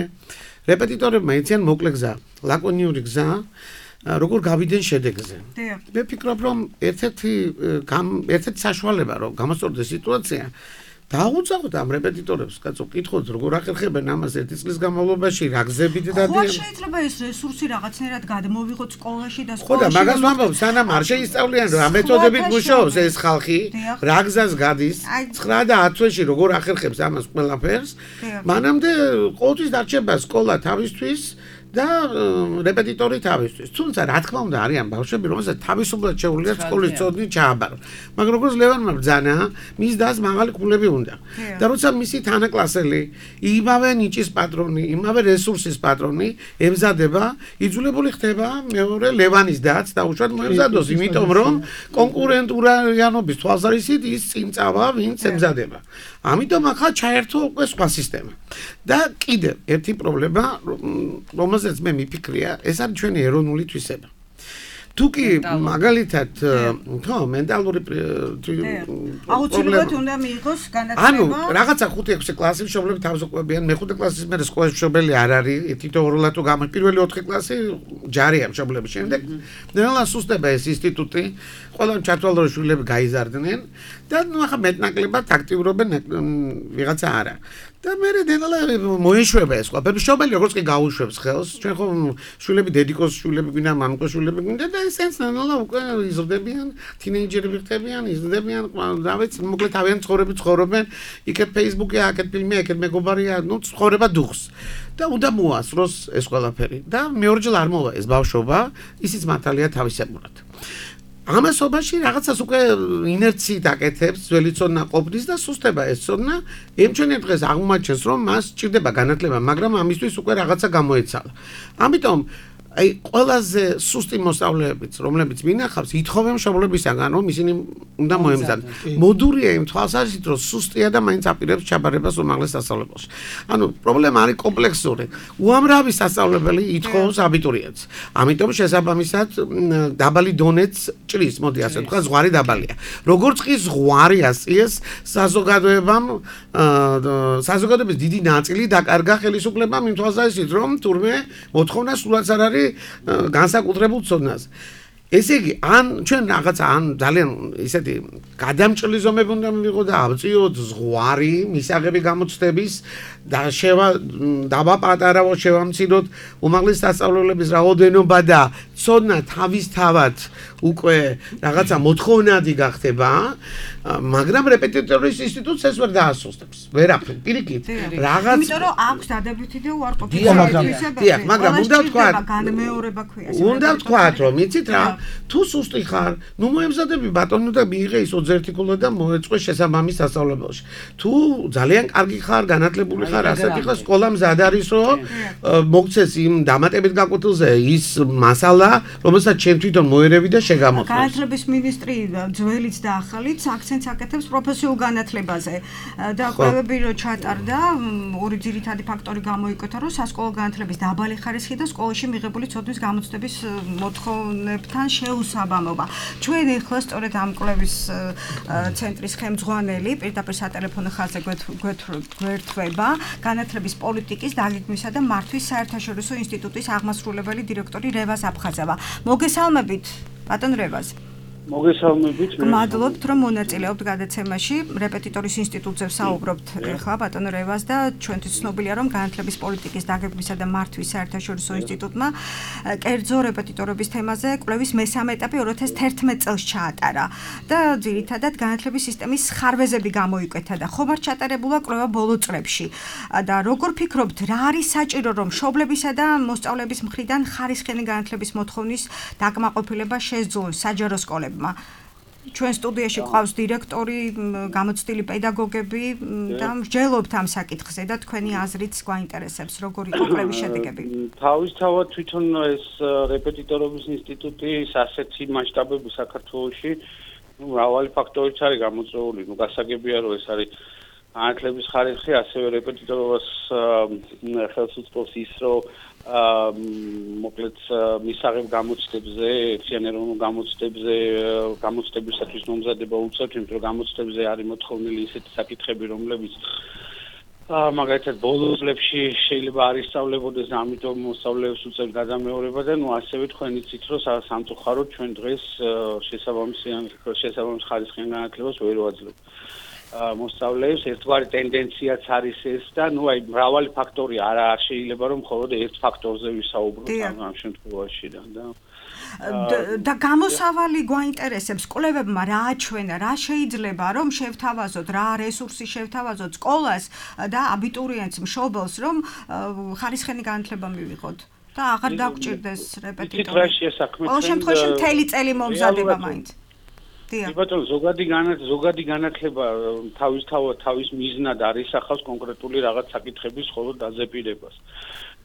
რეპეტიტორებმა იციან მოკლე გზა, ლაკონიური გზა, როგორ გავიდნენ შედეგზე. მე ვფიქრობ, რომ ერთ-ერთი ერთ-ერთი საშუალება, რომ გამოსწორდეს სიტუაცია, დაუძახოთ ამ რეპეტიტორებს, კაცო, კითხოთ, როგორ ახერხებენ ამას ერთი წლის განმავლობაში, რა გზებით დადიან. ხო, შეიძლება ეს რესურსი რაღაცნაირად გადმოვიღოთ სკოლაში და სკოლაში. ხო და მაგას ვამბობ, სანამ არ შეისწავლიან რა მეთოდებით მუშაობს ეს ხალხი, რა გზას გადის, ცხრა და ათ თვეში როგორ ახერხებს ამას ყველაფერს, მანამდე ყოველთვის დარჩება სკოლა თავისთვის და რეპეტიტორი თავისთვის. თუმცა რა თქმა უნდა არიან ბავშვები, რომელსაც თავისუფლად შეუძლიათ სკოლის წოდნით ჩააბარონ. მაგრამ როგორც ლევანმა ბრძანა, მის დას მაღალი ქულები უნდა. და როცა მისი თანაკლასელი, იმავე ნიჭის პატრონი, იმავე რესურსის პატრონი ემზადება, იძულებული ხდება მეორე ლევანის დაც დაუშვათ მოემზადოს, იმიტომ რომ კონკურენტულიანობის თვალსაზრისით ის წინ წავა, ვინც ემზადება. ამიტომ ახლა ჩაერთო უკვე სხვა სისტემა. და კიდევ ერთი პრობლემა, რომელზეც მე მიფიქრია, ეს არის ჩვენი ეროვნული თვისება. თუ კი მაგალითად, ხო, მენტალური აუცილებლად უნდა მიიღოს განათლება. ანუ რაღაცა ხუთი ექვსი კლასი მშობლები თავს უყვებიან, მეხუთე კლასის მერე სკოლის მშობელი არ არის, თითოეულად თუ გამა პირველი ოთხი კლასი ჯარია მშობლების შემდეგ. ნელა სუსტება ეს ინსტიტუტი, ყველა ჩათვალო შვილები გაიზარდნენ და ნუ ახლა მეტნაკლებად აქტიურობენ ვიღაცა არა. და მე დენალა მოეშვება ეს ყველაფერი. მშობელი როგორც კი გაუშვებს ხელს, ჩვენ ხო შვილები დედიკოს შვილები გვინდა, მამიკოს შვილები გვინდა და ესენს ნელა უკვე იზრდებიან, თინეიჯერები ხდებიან, იზრდებიან, რა ვიცი, მოკლედ თავიანთ ცხოვრებით ცხოვრობენ, იქეთ Facebook-ია, აქეთ ფილმია, აქეთ მეგობარია, ნუ ცხოვრება დუხს. და უნდა მოასწროს ეს ყველაფერი. და მეორჯერ არ მოვა ეს ბავშვობა, ისიც მართალია თავისებურად. ამასობაში რაღაცას უკვე ინერციით აკეთებს, ძველი ცოდნა ყოფნის და სუსტება ეს ცოდნა, ემჩვენე დღეს აღმოაჩენს, რომ მას სჭირდება განათლება, მაგრამ ამისთვის უკვე რაღაცა გამოეცალა. ამიტომ აი ყველაზე სუსტი მოსწავლეებიც, რომლებიც მინახავს, ითხოვენ მშობლებისაგან, რომ ისინი უნდა მოემზადონ. მოდურია იმ თვალსაზრისით, რომ სუსტია და მაინც აპირებს ჩაბარებას უმაღლეს სასწავლებელში. ანუ პრობლემა არის კომპლექსური. უამრავი სასწავლებელი ითხოვს აბიტურიენტს. ამიტომ შესაბამისად დაბალი დონეც ჭრის, მოდი ასე ვთქვა, ზღვარი დაბალია. როგორც კი ზღვარი ასწიეს საზოგადოებამ, საზოგადოების დიდი ნაწილი დაკარგა ხელისუფლებამ იმ თვალსაზრისით, რომ თურმე მოთხოვნა სულაც არ არის განსაკუთრებულ ცოდნაზე. ესე იგი, ან ჩვენ რაღაცა ან ძალიან ისეთი გადამჭრილი ზომები უნდა მივიღოთ და ავწიოთ ზღვარი მისაღები გამოცდების და შევა დავაპატარავო შევამციროთ უმაღლეს სასწავლებლების რაოდენობა და ცოდნა თავისთავად უკვე რაღაცა მოთხოვნადი გახდება, მაგრამ რეპეტიტორის ინსტიტუტს ეს ვერ დაასუსტებს. ვერაფერ, პირიქით. რაღაც იმიტომ რომ აქვს დადებითი და უარყოფითი თვისებები. დიახ, მაგრამ უნდა ვთქვა, განმეორება ქვია. უნდა ვთქვა, რომ იცით რა, თუ სუსტი ხარ, ნუ მოემზადები ბატონო და მიიღე ის ოძერთიკულა და მოეწყვე შესაბამის სასწავლებელში. თუ ძალიან კარგი ხარ, განათლებული ხარ, ასეთი ხარ, სკოლა მზად არის, რომ მოგცეს იმ დამატებით გაკვეთილზე ის მასალა, რომელსაც ჩვენ თვითონ მოერევი და შეგამოხმო. განათლების მინისტრი ძველიც და ახალიც აქცენტს აკეთებს პროფესიულ განათლებაზე და კვლევები რო ჩატარდა, ორი ძირითადი ფაქტორი გამოიკვეთა, რომ სასკოლო განათლების დაბალი ხარისხი და სკოლაში მიღებული ცოდნის გამოცდების მოთხოვნებთან შეუსაბამობა. ჩვენ ახლა სწორედ ამ კვლევის ცენტრის ხელმძღვანელი პირდაპირ სატელეფონო ხაზზე გვერდება განათლების პოლიტიკის დაგეგმვისა და მართვის საერთაშორისო ინსტიტუტის აღმასრულებელი დირექტორი რევაზ აფხაზევა. მოგესალმებით, ბატონ რევაზ. მოგესალმებით. გმადლობთ, რომ მონაწილეობთ გადაცემაში. რეპეტიტორის ინსტიტუტზე ვსაუბრობთ ახლა ბატონ რევაზ და ჩვენთვის ცნობილია, რომ განათლების პოლიტიკის დაგეგმვისა და მართვის საერთაშორისო ინსტიტუტმა კერძო რეპეტიტორების თემაზე კვლევის მესამე ეტაპი ორი ათას თერთმეტ წელს ჩაატარა და ძირითადად განათლების სისტემის ხარვეზები გამოიკვეთა და ხომ არ ჩატარებულა კვლევა ბოლო წლებში. და როგორ ფიქრობთ, რა არის საჭირო, რომ მშობლებისა და მოსწავლეების მხრიდან ხარისხიანი განათლების მოთხოვნის დაკმაყოფილება შესძლოს საჯარო სკოლებმა? ჩვენ სტუდიაში ყავს დირექტორი, გამოცდილი პედაგოგები და მსჯელობთ ამ საკითხზე და თქვენი აზრიც გვაინტერესებს, როგორი იყო კვლევის შედეგები. თავისთავად თვითონ ეს რეპეტიტორობის ინსტიტუტი ასეთი მასშტაბები საქართველოში, ნუ მრავალი ფაქტორით არის გამოწვეული, ნუ გასაგებია რომ ეს არის განათლების ხარისხი, ასევე რეპეტიტორობას ხელს უწყობს ის, რომ მოკლედ მისაღებ გამოცდებზე, ერთიანეროვნულ გამოცდებზე, გამოცდებისათვის მომზადება უწევთ, იმიტომ რომ გამოცდებზე არის მოთხოვნილი ისეთი საკითხები, რომლებიც მაგალითად ბოლო წლებში შეიძლება არ ისწავლებოდეს და ამიტომ მოსწავლეებს უწევთ გადამეორება და ნუ ასევე თქვენ იცით, რომ სამწუხაროდ ჩვენ დღეს შესაბამის შესაბამის ხარისხიან განათლებას ვერ ვაძლევთ. მოსწავლეებს ერთგვარი ტენდენციაც არის ეს და ნუ აი მრავალი ფაქტორი არ არ შეიძლება რომ მხოლოდ ერთ ფაქტორზე ვისაუბროთ ამ შემთხვევაში და და გამოსავალი გვაინტერესებს კვლევებმა რა აჩვენა, რა შეიძლება რომ შევთავაზოთ, რა რესურსი შევთავაზოთ სკოლას და აბიტურიენტს მშობელს რომ ხარისხენი განათლება მივიღოთ და აღარ დაგვჭირდეს რეპეტიტორი. ყოველ შემთხვევაში მთელი წელი მომზადება მაინც. ბატონო, ზოგადი განათლება, ზოგადი განათლება თავისთავად თავის მიზნად არის ახავს კონკრეტული რაღაც საკითხების მხოლოდ დაზეპირებას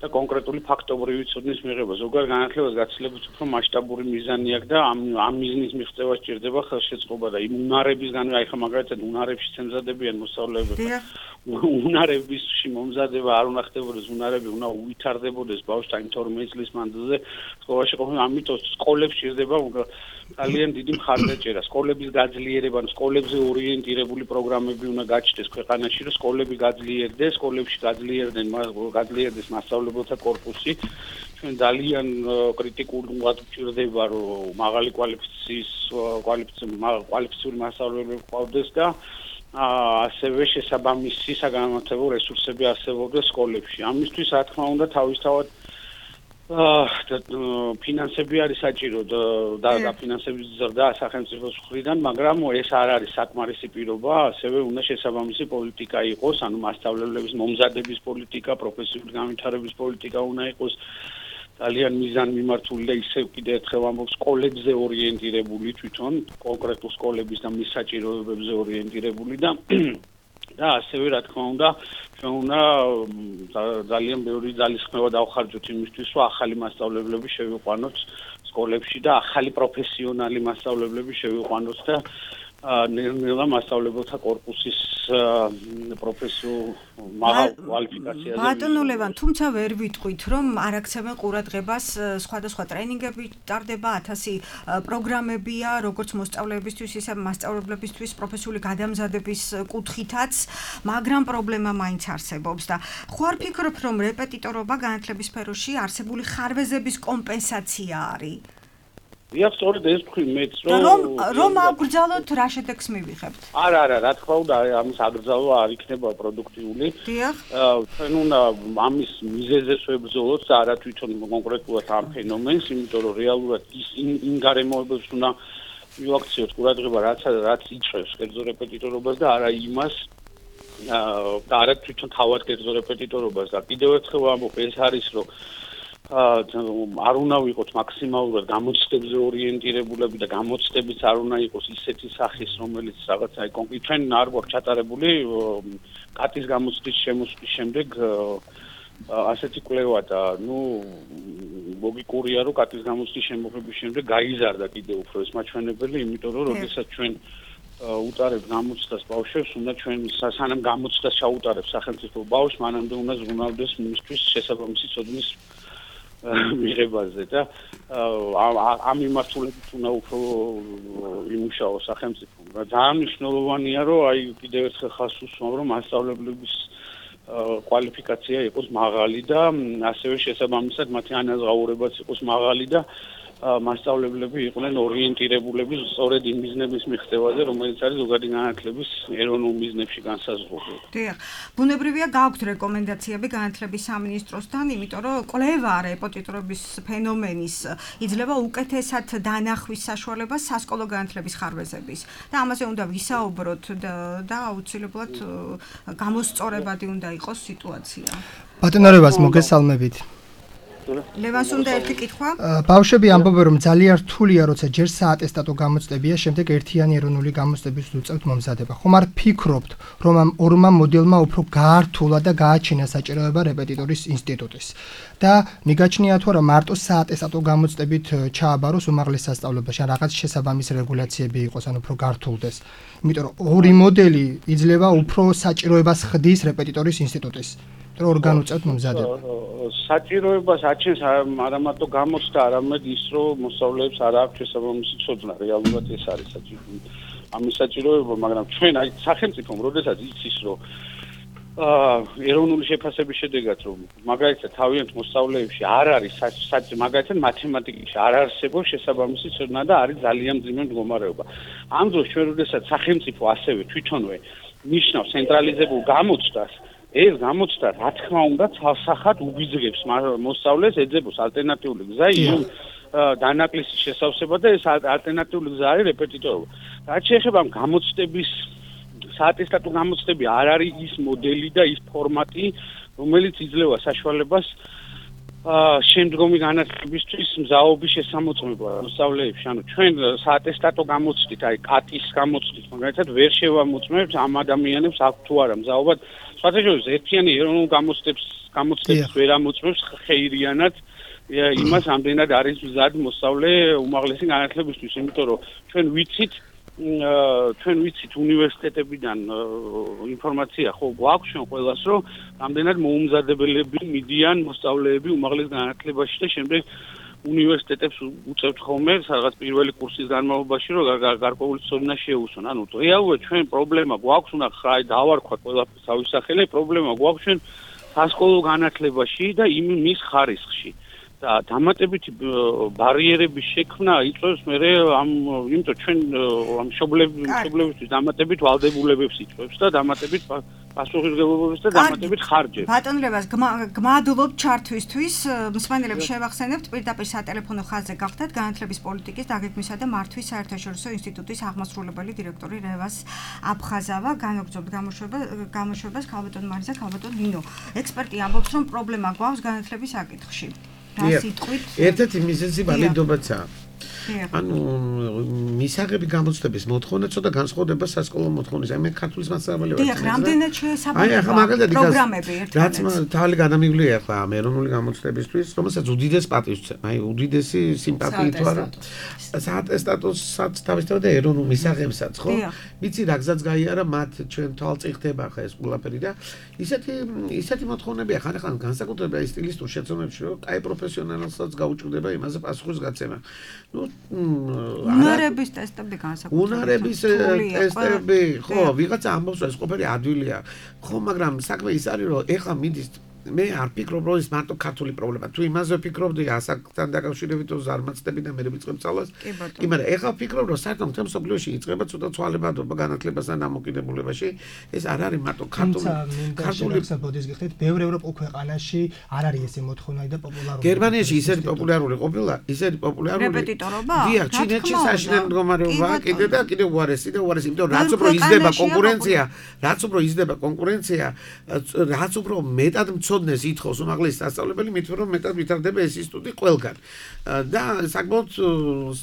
და კონკრეტული ფაქტობრივი ცოდნის მიღება. ზოგადად განათლებას გაცილებით უფრო მასშტაბური მიზანი აქვს და ამ ამ მიზნის მიღწევა სჭირდება ხელშეწყობა და იმ უნარებისგანვე, აი ხა მაგალითად უნარებში ემზადებიან მოსწავლეები. უნარებისში მომზადება არ უნდა ხდებოდეს, უნარები უნდა უვითარდებოდეს ბავშვთან თორმეტ წლის მანძილზე სკოლაში ყოფნა, ამიტომ სკოლებს სჭირდება ძალიან დიდი მხარდაჭერა. სკოლების გაძლიერება, სკოლებზე ორიენტირებული პროგრამები უნდა გაჩნდეს ქვეყანაში, რომ სკოლები გაძლიერდეს, სკოლებში გაძლიერდნენ, გაძლიერდეს მასწავლებელთა კორპუსი. ჩვენ ძალიან კრიტიკულად ვჭირდება, რომ მაღალი კვალიფიციის კვალიფიციური მასწავლებლები ყავდეს და ასევე შესაბამისი საგანმანათლებლო რესურსები არსებობდეს სკოლებში. ამისთვის რა თქმა უნდა თავისთავად ფინანსები არის საჭირო და დაფინანსების ზრდა სახელმწიფოს მხრიდან, მაგრამ ეს არ არის საკმარისი პირობა, ასევე უნდა შესაბამისი პოლიტიკა იყოს, ანუ მასწავლებლების მომზადების პოლიტიკა, პროფესიული განვითარების პოლიტიკა უნდა იყოს ძალიან მიზანმიმართული და ისევ კიდევ ერთხელ ამბობ სკოლებზე ორიენტირებული თვითონ, კონკრეტულ სკოლების და მის საჭიროებებზე ორიენტირებული და და ასევე რა თქმა უნდა ჩვენ უნდა ძალიან ბევრი ძალისხმევა დავხარჯოთ იმისთვის, რომ ახალი მასწავლებლები შევიყვანოთ სკოლებში და ახალი პროფესიონალი მასწავლებლები შევიყვანოთ და ნელ-ნელა მასწავლებელთა კორპუსის პროფესიულ მაღალ კვალიფიკაციაზე. ბატონო ლევან, თუმცა ვერ ვიტყვით, რომ არ აქცევენ ყურადღებას სხვადასხვა ტრენინგები ტარდება, ათასი პროგრამებია, როგორც მოსწავლეებისთვის, ისე მასწავლებლებისთვის პროფესიული გადამზადების კუთხითაც, მაგრამ პრობლემა მაინც არსებობს და ხო არ ფიქრობ, რომ რეპეტიტორობა განათლების სფეროში არსებული ხარვეზების კომპენსაცია არის? დიახ, სწორედ ეს თქვი მეც რომ რომ აგრძალოთ რა შედეგს მივიღებთ. არა, არა, რა თქმა უნდა, ამის აგრძალვა არ იქნება პროდუქტიული. დიახ. ჩვენ უნდა ამის მიზეზებს ვებრძოლოთ და არა თვითონ კონკრეტულად ამ ფენომენს, იმიტომ რომ რეალურად ის იმ გარემოებებს უნდა მივაქციოთ ყურადღება, რაც რაც იწვევს კერძო რეპეტიტორობას და არა იმას და არა თვითონ თავად კერძო რეპეტიტორობას და კიდევ ერთხელ ვამბობ, ეს არის რომ არ უნდა ვიყოთ მაქსიმალურად გამოცდებზე ორიენტირებულები და გამოცდებიც არ უნდა იყოს ისეთი სახის, რომელიც რაღაც აი კონკრეტ ჩვენ არ გვაქვს ჩატარებული კატის გამოცდის შემოსვლის შემდეგ ასეთი კვლევა და ნუ ლოგიკურია რომ კატის გამოცდის შემოღების შემდეგ გაიზარდა კიდევ უფრო ეს მაჩვენებელი, იმიტომ რომ როდესაც ჩვენ უტარებ გამოცდას ბავშვებს, უნდა ჩვენ სანამ გამოცდას ჩაუტარებს სახელმწიფო ბავშვს, მანამდე უნდა ზრუნავდეს მისთვის შესაბამისი ცოდნის მიღებაზე და ამ მიმართულებით უნდა უფრო იმუშაოს სახელმწიფო. ძალიან მნიშვნელოვანია, რომ აი კიდევ ერთხელ ხას უსვამ, რომ მასწავლებლების კვალიფიკაცია იყოს მაღალი და ასევე შესაბამისად მათი ანაზღაურებაც იყოს მაღალი და მასწავლებლები იყვნენ ორიენტირებულები სწორედ იმ მიზნების მიღწევაზე, რომელიც არის ზოგადი განათლების ეროვნულ მიზნებში განსაზღვრული. დიახ, ბუნებრივია გაქვთ რეკომენდაციები განათლების სამინისტროსთან, იმიტომ რომ კვლევა რეპეტიტორობის ფენომენის იძლევა უკეთესად დანახვის საშუალებას სასკოლო განათლების ხარვეზების და ამაზე უნდა ვისაუბროთ და აუცილებლად გამოსწორებადი უნდა იყოს სიტუაცია. ბატონო რევას მოგესალმებით. ლევანს უნდა ერთი კითხვა? ბავშვები ამბობენ, რომ ძალიან რთულია, როცა ჯერ საატესტატო გამოცდებია, შემდეგ ერთიანი ეროვნული გამოცდების უწევთ მომზადება. ხომ არ ფიქრობთ, რომ ამ ორმა მოდელმა უფრო გაართულა და გააჩინა საჭიროება რეპეტიტორის ინსტიტუტის და მიგაჩნია თუ არა მარტო საატესტატო გამოცდებით ჩააბაროს უმაღლეს სასწავლებელში, რაღაც შესაბამისი რეგულაციები იყოს, ან უფრო გართულდეს. იმიტომ რომ ორი მოდელი იძლევა უფრო საჭიროებას ხდის რეპეტიტორის ინსტიტუტის. ორგან უწევთ მომზადება. საჭიროებას აჩენს არა მარტო გამოცდა, არამედ ის, რომ მოსწავლეებს არ აქვს შესაბამისი ცოდნა, რეალურად ეს არის საჭირო. ამის საჭიროება, მაგრამ ჩვენ აი სახელმწიფომ როდესაც იცის, რომ ეროვნული შეფასების შედეგად რომ მაგალითად თავიანთ მოსწავლეებში არ არის მაგალითად მათემატიკაში არ არსებობს შესაბამისი ცოდნა და არის ძალიან მძიმე მდგომარეობა. ამ დროს ჩვენ როდესაც სახელმწიფო ასევე თვითონვე ნიშნავს ცენტრალიზებულ გამოცდას, ეს გამოცდა რა თქმა უნდა ცალსახად უბიძგებს მოსწავლეს ეძებოს ალტერნატიული გზა იმ დანაკლისის შესავსება და ეს ალტერნატიული გზა არის რეპეტიტორობა. რაც შეეხება გამოცდების საატესტატო გამოცდები არ არის ის მოდელი და ის ფორმატი, რომელიც იძლევა საშუალებას შემდგომი განათლებისთვის მზაობის შესამოწმება მოსწავლეებში. ანუ ჩვენ საატესტატო გამოცდით, აი კატის გამოცდით, მაგალითად ვერ შევამოწმებთ ამ ადამიანებს აქვს თუ არა მზაობა. სხვათაშორის ერთიანი ეროვნულ გამოცდებს გამოცდებს ვერ ამოწმებს ხეირიანად იმას ამდენად არის მზად მოსწავლე უმაღლესი განათლებისთვის, იმიტომ რომ ჩვენ ვიცით ჩვენ ვიცით უნივერსიტეტებიდან ინფორმაცია ხო გვაქვს ჩვენ ყველას რომ ამდენად მოუმზადებელები მიდიან მოსწავლეები უმაღლეს განათლებაში და შემდეგ უნივერსიტეტებს უწევთ ხოლმე რაღაც პირველი კურსის განმავლობაში რომ გარკვეული ცოდნა შეუსვან. ანუ რეალურად ჩვენ პრობლემა გვაქვს, უნდა ხაი დავარქვათ ყველაფერს თავის სახელი, პრობლემა გვაქვს ჩვენ სასკოლო განათლებაში და იმ მის ხარისხში. და დამატებითი ბარიერების შექმნა იწვევს მე ამ იმიტომ ჩვენ ამ მშობლებისთვის დამატებით ვალდებულებებს იწვევს და დამატებით პასუხისმგებლობებს და დამატებით ხარჯებს. ბატონლებას გმადლობთ ჩართვისთვის. მსმენელებს შევახსენებთ პირდაპირ სატელეფონო ხაზზე გახდათ განათლების პოლიტიკის დაგეგმვისა და მართვის საერთაშორისო ინსტიტუტის აღმასრულებელი დირექტორი რევას აფხაზავა. განაგრძობთ გამოშვებას ქალბატონ მარიზა, ქალბატონ ნინო. ექსპერტი ამბობს რომ პრობლემა გვაქვს განათლების საკითხში. ერთ-ერთი მიზეზი ვალიდობაცაა. ანუ მისაღები გამოცდების მოთხოვნა ცოტა განსხვავდება სასკოლო მოთხოვნისა. მე ქართულის მასწავლებელი ვარ. დიახ, რამდენად შესაბამება პროგრამები ერთმანეთს. რაც თავი გადამივლია ახლა ამ ეროვნული გამოცდებისთვის, რომელსაც უდიდეს პატივს ვცემ. აი უდიდესი სიმპათიით ვარ. საატესტატოსაც თავისთავად და ეროვნულ მისაღებსაც, ხო? ვიცი რა გზაც გაიარა მათ ჩვენ თვალწიხდება ხა ეს ყველაფერი და ისეთი ისეთი მოთხოვნებია ხან-ხან განსაკუთრებით აი სტილისტურ შეცდომებში, რომ აი პროფესიონალსაც გაუჭირდება იმაზე პასუხის გაცემა. ნუ უნარების ტესტები განსაკუთრებით. უნარების ტესტები, ხო, ვიღაცა ამბობს, ეს ყოფილი ადვილია. ხო, მაგრამ საქმე ის არის, რომ ეხლა მიდის მე არ ფიქრობ, რომ ეს მარტო ქართული პრობლემა. თუ იმაზე ვფიქრობდი, ასაკთან დაკავშირებით თუ ზარმაცდები და მე ვიწყებ სწავლას. კი, მაგრამ ეხლა ვფიქრობ, რომ საერთოდ მთელ მსოფლიოში იწყება ცოტა ცვალებადობა განათლებასთან დამოკიდებულებაში. ეს არ არის მარტო ქართული ქართული საბოდის გიხდით, ბევრ ევროპულ ქვეყანაში არ არის ესე მოთხოვნა და პოპულარული. გერმანიაში ისეთი პოპულარული ყოფილა, ისეთი პოპულარული. რეპეტიტორობა? დიახ, ჩინეთში საშინელი მდგომარეობა კიდე და კიდე უარესი და უარესი, იმიტომ რომ რაც უფრო იზრდება კონკურენცია, რაც უფრო იზრდება კონკურენცია, რაც უფრო მეტად ცოდნეს ითხოვს უმაღლესი სასწავლებელი, მით რომ მეტად ვითარდება ეს ინსტიტუტი ყველგან. და საკმაოდ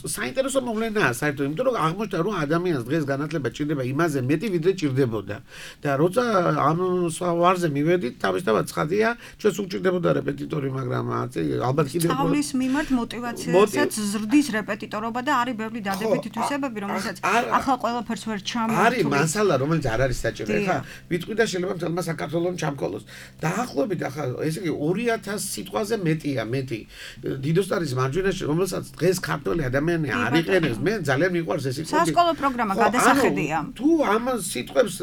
საინტერესო მოვლენაა საერთოდ, იმიტომ რომ აღმოჩნდა რომ ადამიანს დღეს განათლება ჭირდება იმაზე მეტი ვიდრე ჭირდებოდა. და როცა ამ ვარზე მივედით, თავისთავად ცხადია, ჩვენს უჭირდებოდა რეპეტიტორი, მაგრამ ალბათ კიდევ სწავლის მიმართ მოტივაციასაც ზრდის რეპეტიტორობა და არის ბევრი დადებითი თვისებები, რომელსაც ახლა ყველაფერს ვერ ჩამოვთვლი. არის მასალა, რომელიც არ არის საჭირო. ხა ვიტყვი და შეიძლება მთელმა საქართველოს ჩამქოლოს. დაახლოებით ახლა ესე იგი ორი ათას სიტყვაზე მეტია, მეტი. დიდოსტანის მარჯვენაში, რომელსაც დღეს ქართველი ადამიანი არ იყენებს, მე ძალიან მიყვარს ეს სიტყვები. სასკოლო პროგრამა გადასახედია. თუ ამ სიტყვებს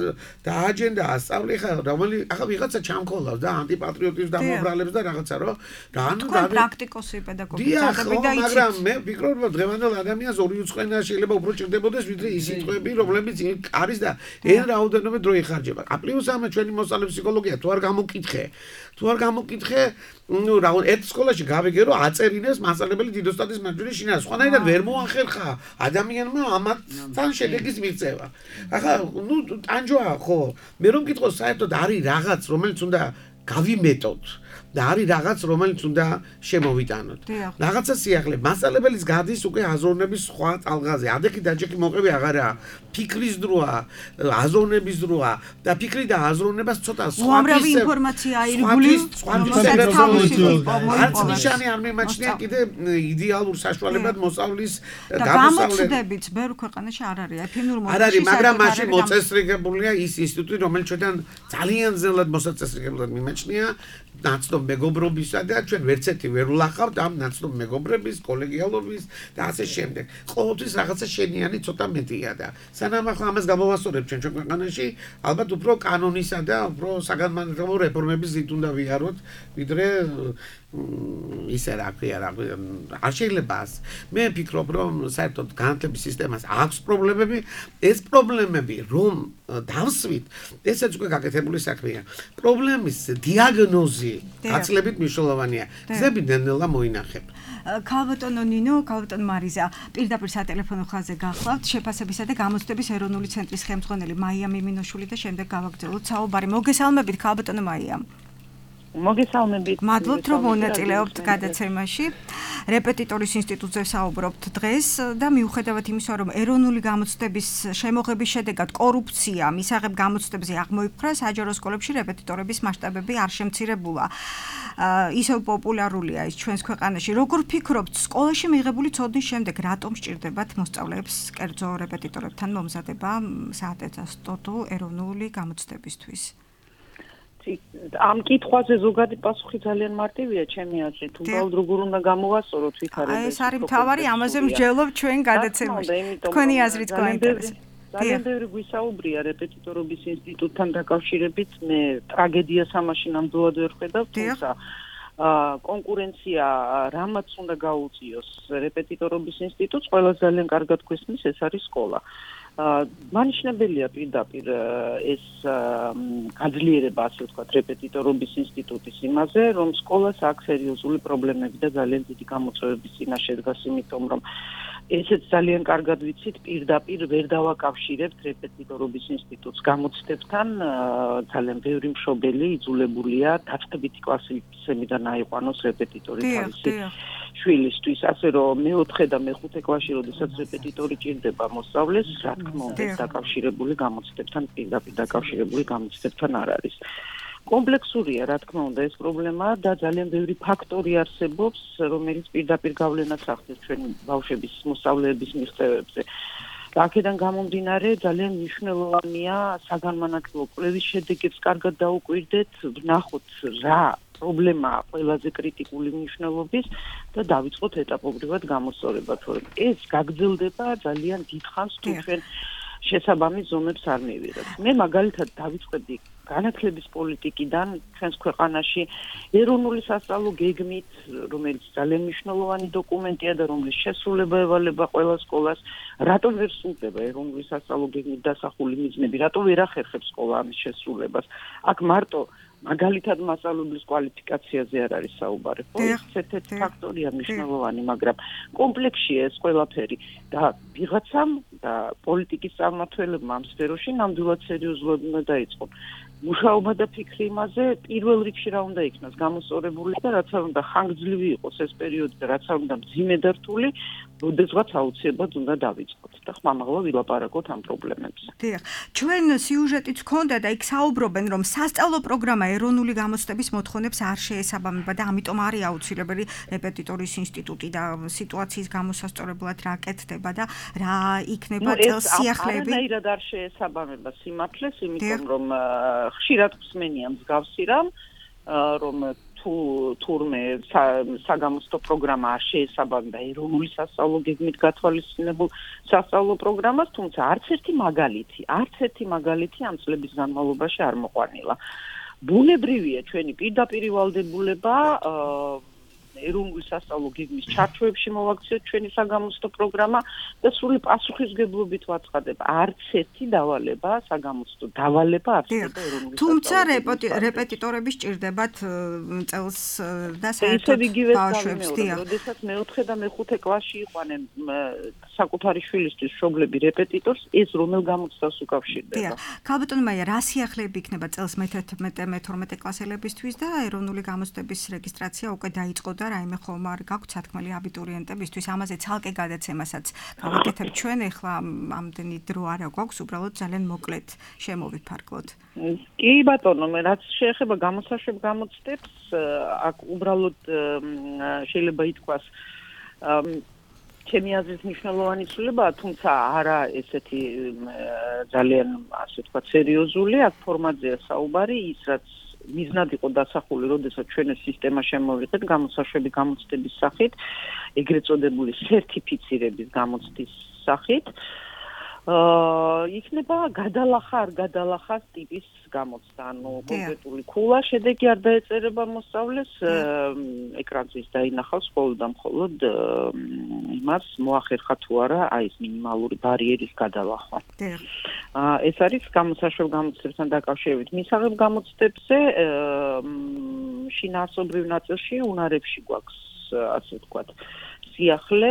დააჯენდა ასწავლი ხა, რომელი ახლა ვიღაცა ჩამქოლავს და ანტიპატრიოტიზმს დამობრალებს და რაღაცა რო რანუ და პრაქტიკოსი პედაგოგი წადები და იცით. მაგრამ მე ვფიქრობ, რომ დღევანდელ ადამიანს ორი უცხოენა შეიძლება უფრო ჭირდებოდეს, ვიდრე ის სიტყვები, რომლებიც არის და ეს რაოდენობით დრო იხარჯება. პლუს ამ ჩვენი მოსწავლე ფსიქოლოგია თუ არ გამოკითხე თუ არ გამოკითხე, ნუ რა ერთ სკოლაში გავიგე რომ აწერინეს მასწავლებელი დიდოსტატის მარჯვენა შინაა. სხვანაირად ვერ მოახერხა ადამიანმა ამათთან შედეგის მიღწევა. ახლა ნუ ტანჯვაა ხო? მე რომ მკითხო საერთოდ არის რაღაც, რომელიც უნდა გავიმეტოთ და არის რაღაც, რომელიც უნდა შემოვიტანოთ. რაღაცა სიახლე მასწავლებლის გადის უკვე აზროვნების სხვა ტალღაზე. ადექი დაჯექი მოყევი აღარაა. ფიქრის დროა, აზროვნების დროა და ფიქრი და აზროვნებას ცოტა სხვა უამრავი ინფორმაცია აირგული, არც ნიშანი არ მიმაჩნია კიდე იდეალურ საშუალებად მოსწავლის გამოსავლეთ. გამოცდებით ბევრ ქვეყანაში არ არის. ეფინურ მოსწავლეში არ არის, მაგრამ მაშინ მოწესრიგებულია ის ინსტიტუტი, რომელიც ჩვენთან ძალიან ძნელად მოსაწესრიგებლად მიმაჩნია. ნაცნობ მეგობრობისა და ჩვენ ვერცერთი ვერ ვლახავთ ამ ნაცნობ მეგობრების, კოლეგიალობის და ასე შემდეგ. ყოველთვის რაღაცა შენიანი ცოტა მეტია და სანამ ახლა ამას გამოვასწორებთ ჩვენ ჩვენ ქვეყანაში, ალბათ უფრო კანონისა და უფრო საგანმანათლებლო რეფორმების ზით უნდა ვიაროთ, ვიდრე ისე რა ქვია რა არ შეიძლება მე ვფიქრობ რომ საერთოდ განათლების სისტემას აქვს პრობლემები ეს პრობლემები რომ დავსვით ესეც უკვე გაკეთებული საქმეა პრობლემის დიაგნოზი გაცილებით მნიშვნელოვანია გზები ნელ-ნელა მოინახებ ქალბატონო ნინო ქალბატონო მარიზა პირდაპირ სატელეფონო ხაზზე გახლავთ შეფასებისა და გამოცდების ეროვნული ცენტრის ხელმძღვანელი მაია მიმინოშვილი და შემდეგ გავაგრძელოთ საუბარი მოგესალმებით ქალბატონო მაია მოგესალმებით. მადლობთ რომ მონაწილეობთ გადაცემაში. რეპეტიტორის ინსტიტუტზე საუბრობთ დღეს და მიუხედავად იმისა, რომ ეროვნული გამოცდების შემოღების შედეგად კორუფცია მისაღებ გამოცდებზე აღმოიფხვრა, საჯარო სკოლებში რეპეტიტორების მასშტაბები არ შემცირებულა. ისევ პოპულარულია ის ჩვენს ქვეყანაში. როგორ ფიქრობთ, სკოლაში მიღებული ცოდნის შემდეგ რატომ სჭირდებათ მოსწავლეებს კერძო რეპეტიტორებთან მომზადება საატესტატო ეროვნული გამოცდებისთვის? ამ კითხვაზე ზოგადი პასუხი ძალიან მარტივია ჩემი აზრით. უბრალოდ როგორ უნდა გამოვასწოროთ ვითარება. აი ეს არის მთავარი, ამაზე მსჯელობ ჩვენ გადაცემაში. თქვენი აზრით გაინტერესებს. ძალიან ბევრი გვისაუბრია რეპეტიტორობის ინსტიტუტთან დაკავშირებით. მე ტრაგედიას ამაში ნამდვილად ვერ ხედავ, თუმცა კონკურენცია რამაც უნდა გაუწიოს რეპეტიტორობის ინსტიტუტს, ყველას ძალიან კარგად გვესმის, ეს არის სკოლა. მანიშნებელია პირდაპირ ეს გაძლიერება, ასე ვთქვათ, რეპეტიტორობის ინსტიტუტის იმაზე, რომ სკოლას აქვს სერიოზული პრობლემები და ძალიან დიდი გამოწვევების წინაშე დგას, იმიტომ რომ ესეც ძალიან კარგად ვიცით, პირდაპირ ვერ დავაკავშირებთ რეპეტიტორობის ინსტიტუტს გამოცდებთან, ძალიან ბევრი მშობელი იძულებულია დაწყებითი კლასისებიდან აიყვანოს რეპეტიტორი თავისი შვილისთვის, ასე რომ მეოთხე და მეხუთე კლასში, როდესაც რეპეტიტორი ჭირდება მოსწავლეს, რა თქმა უნდა, დაკავშირებული გამოცდებთან, პირდაპირ დაკავშირებული გამოცდებთან არ არის. კომპლექსურია, რა თქმა უნდა, ეს პრობლემა და ძალიან ბევრი ფაქტორი არსებობს, რომელიც პირდაპირ გავლენას ახდენს ჩვენი ბავშვების მოსწავლეების მიღწევებზე. აქედან გამომდინარე, ძალიან მნიშვნელოვანია საგანმანათლებლო კვლევის შედეგებს კარგად დაუკვირდეთ, ვნახოთ რა პრობლემაა ყველაზე კრიტიკული მნიშვნელობის და დავიწყოთ ეტაპობრივად გამოსწორება, თორემ ეს გაგრძელდება ძალიან დიდხანს თუ ჩვენ შესაბამის ზომებს არ მივიღებთ. მე მაგალითად დავიწყებდი განათლების პოლიტიკიდან ჩვენს ქვეყანაში ეროვნული სასწავლო გეგმით, რომელიც ძალიან მნიშვნელოვანი დოკუმენტია და რომლის შესრულება ევალება ყველა სკოლას, რატომ ვერ სრულდება ეროვნული სასწავლო გეგმით დასახული მიზნები, რატომ ვერ ახერხებს სკოლა ამის შესრულებას? აქ მარტო მაგალითად მასწავლებლის კვალიფიკაციაზე არ არის საუბარი. ხო, ეს ერთ-ერთი ფაქტორია მნიშვნელოვანი, მაგრამ კომპლექსია ეს ყველაფერი და ვიღაცამ და პოლიტიკის წარმმართველებმა ამ სფეროში ნამდვილად სერიოზულად უნდა დაიწყონ. მუშაობა და ფიქრი იმაზე პირველ რიგში რა უნდა იქნას გამოსწორებული და რაც არ უნდა ხანგრძლივი იყოს ეს პერიოდი და რაც არ უნდა მძიმე და რთული, როდესღაც აუცილებლად უნდა დავიწყოთ და ხმამაღლა ვილაპარაკოთ ამ პრობლემებზე. დიახ, ჩვენ სიუჟეტიც ჰქონდა და იქ საუბრობენ, რომ სასწავლო პროგრამა ეროვნული გამოცდების მოთხოვნებს არ შეესაბამება და ამიტომ არის აუცილებელი რეპეტიტორის ინსტიტუტი და სიტუაციის გამოსასწორებლად რა კეთდება და რა იქნება წელს სიახლეები. ეს არანაირად არ შეესაბამება სიმართლეს, იმიტომ რომ ხშირად ხსმენია მსგავსი რამ, რომ თუ თურმე საგამოცდო პროგრამა არ შეესაბამება ეროვნული სასწავლო გეგმით გათვალისწინებულ სასწავლო პროგრამას, თუმცა არც ერთი მაგალითი, არც ერთი მაგალითი ამ წლების განმავლობაში არ მოყვანილა. ბუნებრივია ჩვენი პირდაპირ ვალდებულება ეროვნული სასწავლო გეგმის ჩარჩოებში მოვაქციოთ ჩვენი საგამოცდო პროგრამა და სრული პასუხისგებლობით ვაცხადებ, არც ერთი დავალება, საგამოცდო დავალება არ ხდება ეროვნული თუმცა რეპეტიტორები სჭირდებათ წელს და საერთოდ ბავშვებს, დიახ. როდესაც მეოთხე და მეხუთე კლასში იყვანენ საკუთარი შვილისთვის მშობლები რეპეტიტორს, ეს რომელ გამოცდას უკავშირდება? დიახ. ქალბატონო მაია, რა სიახლეები იქნება წელს მეთერთმეტე მეთორმეტე კლასელებისთვის და ეროვნული გამოცდების რეგისტრაცია უკვე დაიწყო და რაიმე ხომ არ გაქვთ სათქმელი აბიტურიენტებისთვის, ამაზე ცალკე გადაცემასაც გავაკეთებ ჩვენ, ეხლა ამდენი დრო არა გვაქვს, უბრალოდ ძალიან მოკლედ შემოვიფარგლოთ. კი ბატონო, მე რაც შეეხება გამოსაშვებ გამოცდებს, აქ უბრალოდ შეიძლება ითქვას ჩემი აზრით მნიშვნელოვანი ცვლილებაა, თუმცა არა ესეთი ძალიან, ასე ვთქვათ, სერიოზული, აქ ფორმატზეა საუბარი, ის რაც მიზნად იყო დასახული, როდესაც ჩვენ ეს სისტემა შემოვიღეთ გამოსაშვები გამოცდების სახით, ეგრეთ წოდებული სერტიფიცირების გამოცდის სახით. აა იქნება გადალახა არ გადალახა ტიპის გამოცდა, ანუ კონკრეტული ქულა შედეგი არ დაეწერება მოსწავლეს, ეკრანზე დაინახავს მხოლოდ და მხოლოდ იმას მოახერხა თუ არა აი ეს მინიმალური ბარიერის გადალახვა. აა ეს არის გამოსაშვებ გამოცდებთან დაკავშირებით. მისაღებ გამოცდებზე შინაარსობრივ ნაწილში უნარებში გვაქვს ასე ვთქვათ სიახლე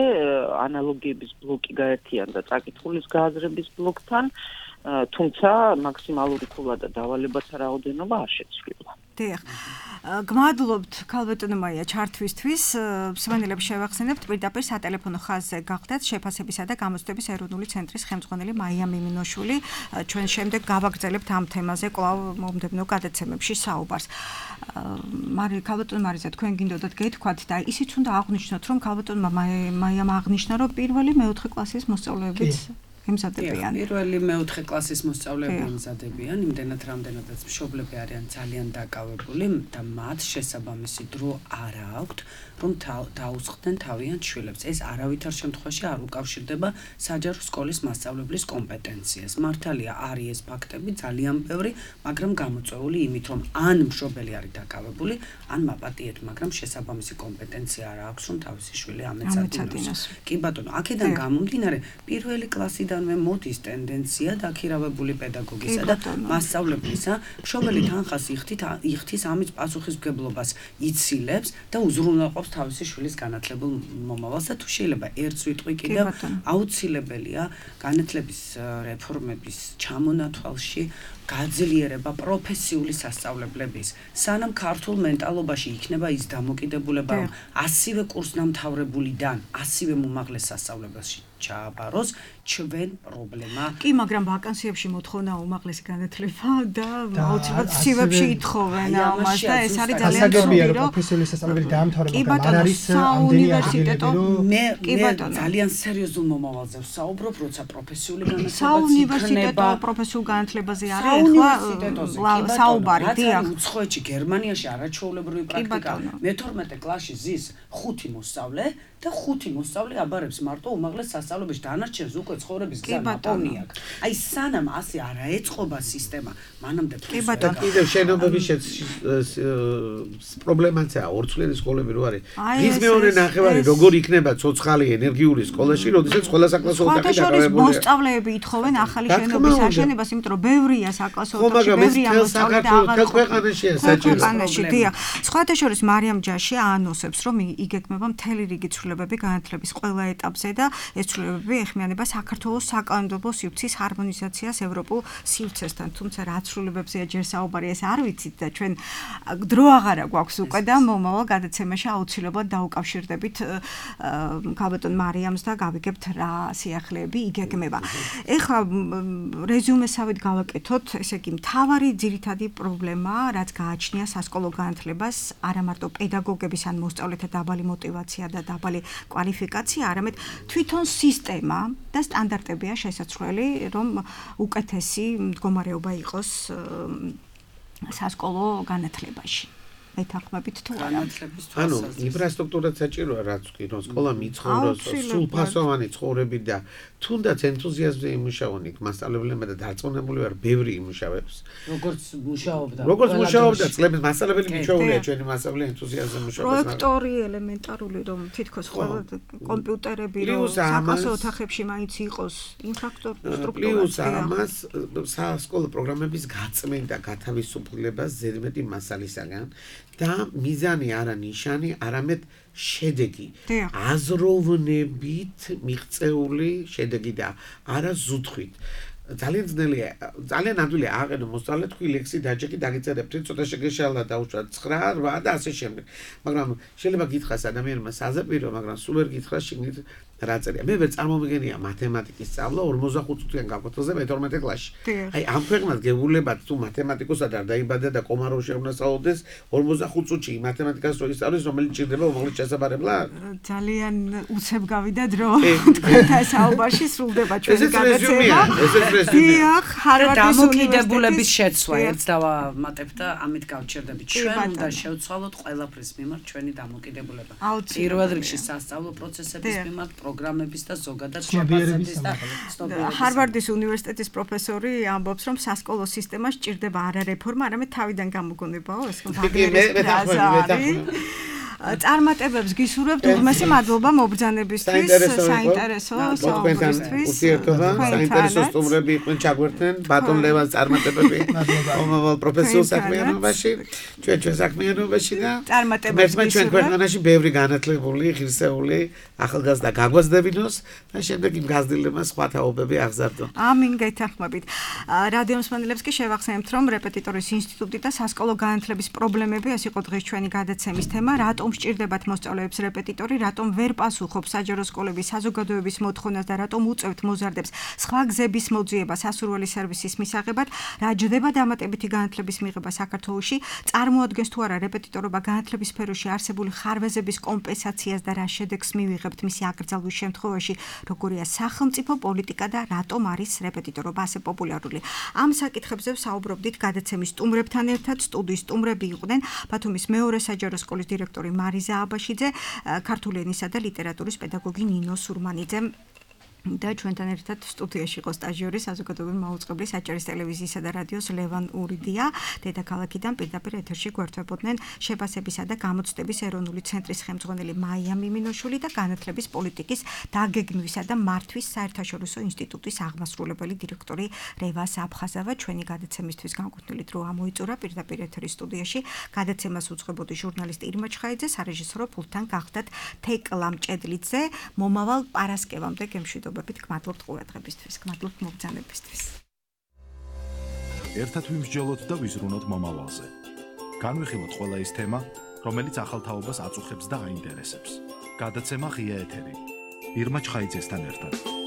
ანალოგიების ბლოკი გაერთიანდა წაკითხulis გააზრების ბლოკთან, თუმცა მაქსიმალური ქულა და დავალებათა რაოდენობა არ შეცვლილა. დიახ. გმადლობთ ქალბატონო მაია ჩართვისთვის. მსმენელებს შევახსენებთ პირდაპირ სატელეფონო ხაზზე გახდეთ შეფასებისა და გამოცდების ეროვნული ცენტრის ხელმძღვანელი მაია მიმინოშვილი. ჩვენ შემდეგ გავაგრძელებთ ამ თემაზე კვლავ მომდევნო გადაცემებში საუბარს. მარი ქალბატონო მარიზა თქვენ გინდოდათ გეთქვათ და ისიც უნდა აღვნიშნოთ რომ ქალბატონმა მაიამ აღნიშნა რომ პირველი მეოთხე კლასის მოსწავლეებიც ემზადებიან. პირველი მეოთხე კლასის მოსწავლეები ემზადებიან, იმდენად რამდენადაც მშობლები არიან ძალიან დაკავებული და მათ შესაბამისი დრო არ აქვთ, რომ დაუწყდნენ თავიანთ შვილებს. ეს არავითარ შემთხვევაში არ უკავშირდება საჯარო სკოლის მასწავლებლის კომპეტენციას. მართალია არის ეს ფაქტები ძალიან ბევრი, მაგრამ გამოწვეული იმით, რომ ან მშობელი არის დაკავებული, ან მაპატიეთ, მაგრამ შესაბამისი კომპეტენცია არ აქვს, რომ თავისი შვილი ამეწადინოს. კი ბატონო, აქედან გამომდინარე, პირველი კლასიდან მე მოდის ტენდენცია დაქირავებული პედაგოგისა და მასწავლებლისა, მშობელი თანხას იხთის ამის პასუხისმგებლობას იცილებს და უზრუნველყოფს თავისი შვილის განათლებულ მომავალს და თუ შეიძლება ერთ სიტყვით კიდევ აუცილებელია განათლების რეფორმების ჩამონათვალში გაძლიერება პროფესიული სასწავლებლების. სანამ ქართულ მენტალობაში იქნება ის დამოკიდებულება, რომ ასივე კურსდამთავრებულიდან ასივე მომაღლეს სასწავლებელში ჩააბაროს, ჩვენ პრობლემა. კი, მაგრამ ვაკანსიებში მოთხოვნა უმაღლესი განათლება და აუცილებლად სივებში ითხოვენ ამას და ეს არის ძალიან სასაგებია რომ პროფესიული სასწავლებელი დაამთავრა, მაგრამ არ არის ამდენი აღიარებები. მე ძალიან სერიოზულ მომავალზე ვსაუბრობ, როცა პროფესიული განათლება საუნივერსიტეტო პროფესიულ განათლებაზე არის ახლა საუბარი, დიახ. უცხოეთში, გერმანიაში არაჩვეულებრივი პრაქტიკა. მეთორმეტე კლასში ზის ხუთი მოსწავლე და ხუთი მოსწავლე აბარებს მარტო უმაღლეს სასწავლებელში, დანარჩენს უკვე ცხოვრების გზა ნაპოვნი აქვს. აი სანამ ასე არ აეწყობა სისტემა, მანამდე კიდევ შენობების პრობლემაცაა ორცვლიანი სკოლები რო არის. ის მეორე ნახევარი როგორ იქნება ცოცხალი ენერგიული სკოლაში, როდესაც ყველა საკლასო ოთახი დაკავებულია. მოსწავლეები ითხოვენ ახალი შენობის აშენებას, იმიტომ რომ ბევრია საკლასო ოთახი, ბევრია მოსწავლე და აღარ ქვეყანაშია საჭირო. ქვეყანაში, დიახ. სხვათა შორის მარიამ ჯაში აანონსებს, რომ იგეგმება მთელი რიგი ცვლილებები განათლების ყველა ეტაპზე და ეს ცვლილებები ეხმიანება საქართველოს საკანონმდებლო სივრცის ჰარმონიზაციას ევროპულ სივრცესთან. თუმცა რა ცვლილებებზეა ჯერ საუბარი, ეს არ ვიცით და ჩვენ დრო აღარა გვაქვს უკვე და მომავალ გადაცემაში აუცილებლად დაუკავშირდებით ქალბატონ მარიამს და გავიგებთ რა სიახლეები იგეგმება. ეხლა რეზიუმესავით გავაკეთოთ, ესე იგი მთავარი ძირითადი პრობლემა, რაც გააჩნია სასკოლო განათლებას, არა მარტო პედაგოგების ან მოსწავლეთა დაბალი мотиваცია და დაბალი კვალიფიკაცია, არამედ თვითონ სისტემა და სტანდარტებია შესაძლებელი, რომ უკეთესი მდგომარეობა იყოს სასკოლო განათლებაში. მეთანხმებით თუ არა. ანუ ინფრასტრუქტურაც საჭიროა, რაც კი რომ სკოლა მიცხოვროს სრულფასოვანი ცხოვრები და თუნდაც ენთუზიაზმი იმუშაონ იქ მასწავლებლებმა და დარწმუნებული ვარ, ბევრი იმუშავებს. როგორც მუშაობდა. როგორც მუშაობდა წლების მასწავლებელი მუშაობია, ჩვენი მასწავლებელი ენთუზიაზმი მუშაობს. პროექტორი ელემენტარული რომ თითქოს ყველა კომპიუტერები რომ საკლასო ოთახებში მაინც იყოს ინფრასტრუქტურა. პლუს ამას სასკოლო პროგრამების გაწმენდა, გათავისუფლება ზედმეტი მასალისაგან. და მიზანი არა ნიშანი, არამედ შედეგი. აზროვნებით მიღწეული შედეგი და არა ზუთხით. ძალიან ძნელია, ძალიან ადვილია აყენო მოსწავლე თქვი ლექსი დაჯექი დაგიწერებთ, ცოტა შეგეშალა დაუშვა ცხრა, რვა და ასე შემდეგ. მაგრამ შეიძლება გითხრას ადამიანმა საზაპირო, მაგრამ სულ ვერ გითხრას შეგნით რა წერია. მე ვერ წარმომიგენია მათემატიკის სწავლა ორმოცდახუთ წუთიან გაკვეთილზე მეთორმეტე კლასში. აი ამ ქვეყნად გეუბნებათ თუ მათემატიკოსად არ დაიბადა და კომაროვში უნდა სწავლდეს ორმოცდახუთ წუთში მათემატიკას რო ისწავლის, რომელიც ჭირდება უმაღლეს ჩასაბარებლად. ძალიან უცებ გავიდა დრო. და საუბარში სრულდება ჩვენი გადაცემა. დიახ, ჰარვარდის დამოკიდებულების შეცვლა ერთს დავამატებ და ამით გავჩერდებით. ჩვენ უნდა შევცვალოთ ყველაფრის მიმართ ჩვენი დამოკიდებულება. პირველ რიგში სასწავლო პროცესების მიმართ, პროგრამების და ზოგადად შეფასების და ცნობიერების. ჰარვარდის უნივერსიტეტის პროფესორი ამბობს, რომ სასკოლო სისტემა სჭირდება არა რეფორმა, არამედ თავიდან გამოგონებაო, ეს ვაგნერის ფრაზა არის. წარმატებებს გისურვებთ უღმესი მადლობა მობრძანებისთვის, საინტერესო საუბრისთვის. ურთიერთობა, საინტერესო სტუმრები იყვნენ ჩაგვერთნენ, ბატონ ლევანს წარმატებები მომავალ პროფესიულ საქმიანობაში, ჩვენ ჩვენ საქმიანობაში და წარმატებებს გისურვებთ. ჩვენ ქვეყანაში ბევრი განათლებული, ღირსეული ახალგაზრდა გაგვազდებინოს და შემდეგ იმ გაზრდილებას სხვა თაობები აღზარდონ. ამინ გეთანხმებით. რადიო მსმენელებს კი შევახსენებთ, რომ რეპეტიტორის ინსტიტუტი და სასკოლო განათლების პრობლემები ეს იყო დღეს ჩვენი გადაცემის თემა. რატომ სჭირდებათ მოსწავლეებს რეპეტიტორი, რატომ ვერ პასუხობს საჯარო სკოლების საზოგადოების მოთხოვნას და რატომ უწევთ მოზარდებს სხვა გზების მოძიებას სასურველი სერვისის მისაღებად, რა ჯდება დამატებითი განათლების მიღება საქართველოში, წარმოადგენს თუ არა რეპეტიტორობა განათლების სფეროში არსებული ხარვეზების კომპენსაციას და რა შედეგს მივიღებთ მისი აკრძალვის შემთხვევაში, როგორია სახელმწიფო პოლიტიკა და რატომ არის რეპეტიტორობა ასე პოპულარული. ამ საკითხებზე საუბრობდით გადაცემის სტუმრებთან ერთად. სტუდიის სტუმრები იყვნენ ბათუმის მეორე საჯარო სკოლის დირექტორი მარიზა აბაშიძე, ქართული ენისა და ლიტერატურის პედაგოგი ნინო სურმანიძე და ჩვენთან ერთად სტუდიაში იყო სტაჟიორი საზოგადოებრივი მაუწყებლის აჭარის ტელევიზიისა და რადიოს ლევან ურიდია. დედაქალაქიდან პირდაპირ ეთერში გვერდებოდნენ შეფასებისა და გამოცდების ეროვნული ცენტრის ხელმძღვანელი მაია მიმინოშვილი და განათლების პოლიტიკის დაგეგმვისა და მართვის საერთაშორისო ინსტიტუტის აღმასრულებელი დირექტორი რევა აფხაზავა. ჩვენი გადაცემისთვის განკუთვნილი დრო ამოიწურა პირდაპირ ეთერის სტუდიაში. გადაცემას უძღვებოდი ჟურნალისტი ირმა ჩხაიძე, სარეჟისორო პულტთან გახდათ თეკლა მჭედლიძე. მომავალ პარასკევამდე გემშვიდობებით. გმადლობთ ყურადღებისთვის, გმადლობთ მობრძანებისთვის. ერთად ვიმსჯელოთ და ვიზრუნოთ მომავალზე. განვიხილოთ ყველა ის თემა, რომელიც ახალ თაობას აწუხებს და აინტერესებს. გადაცემა ღია ეთერი. ირმა ჩხაიძესთან ერთად.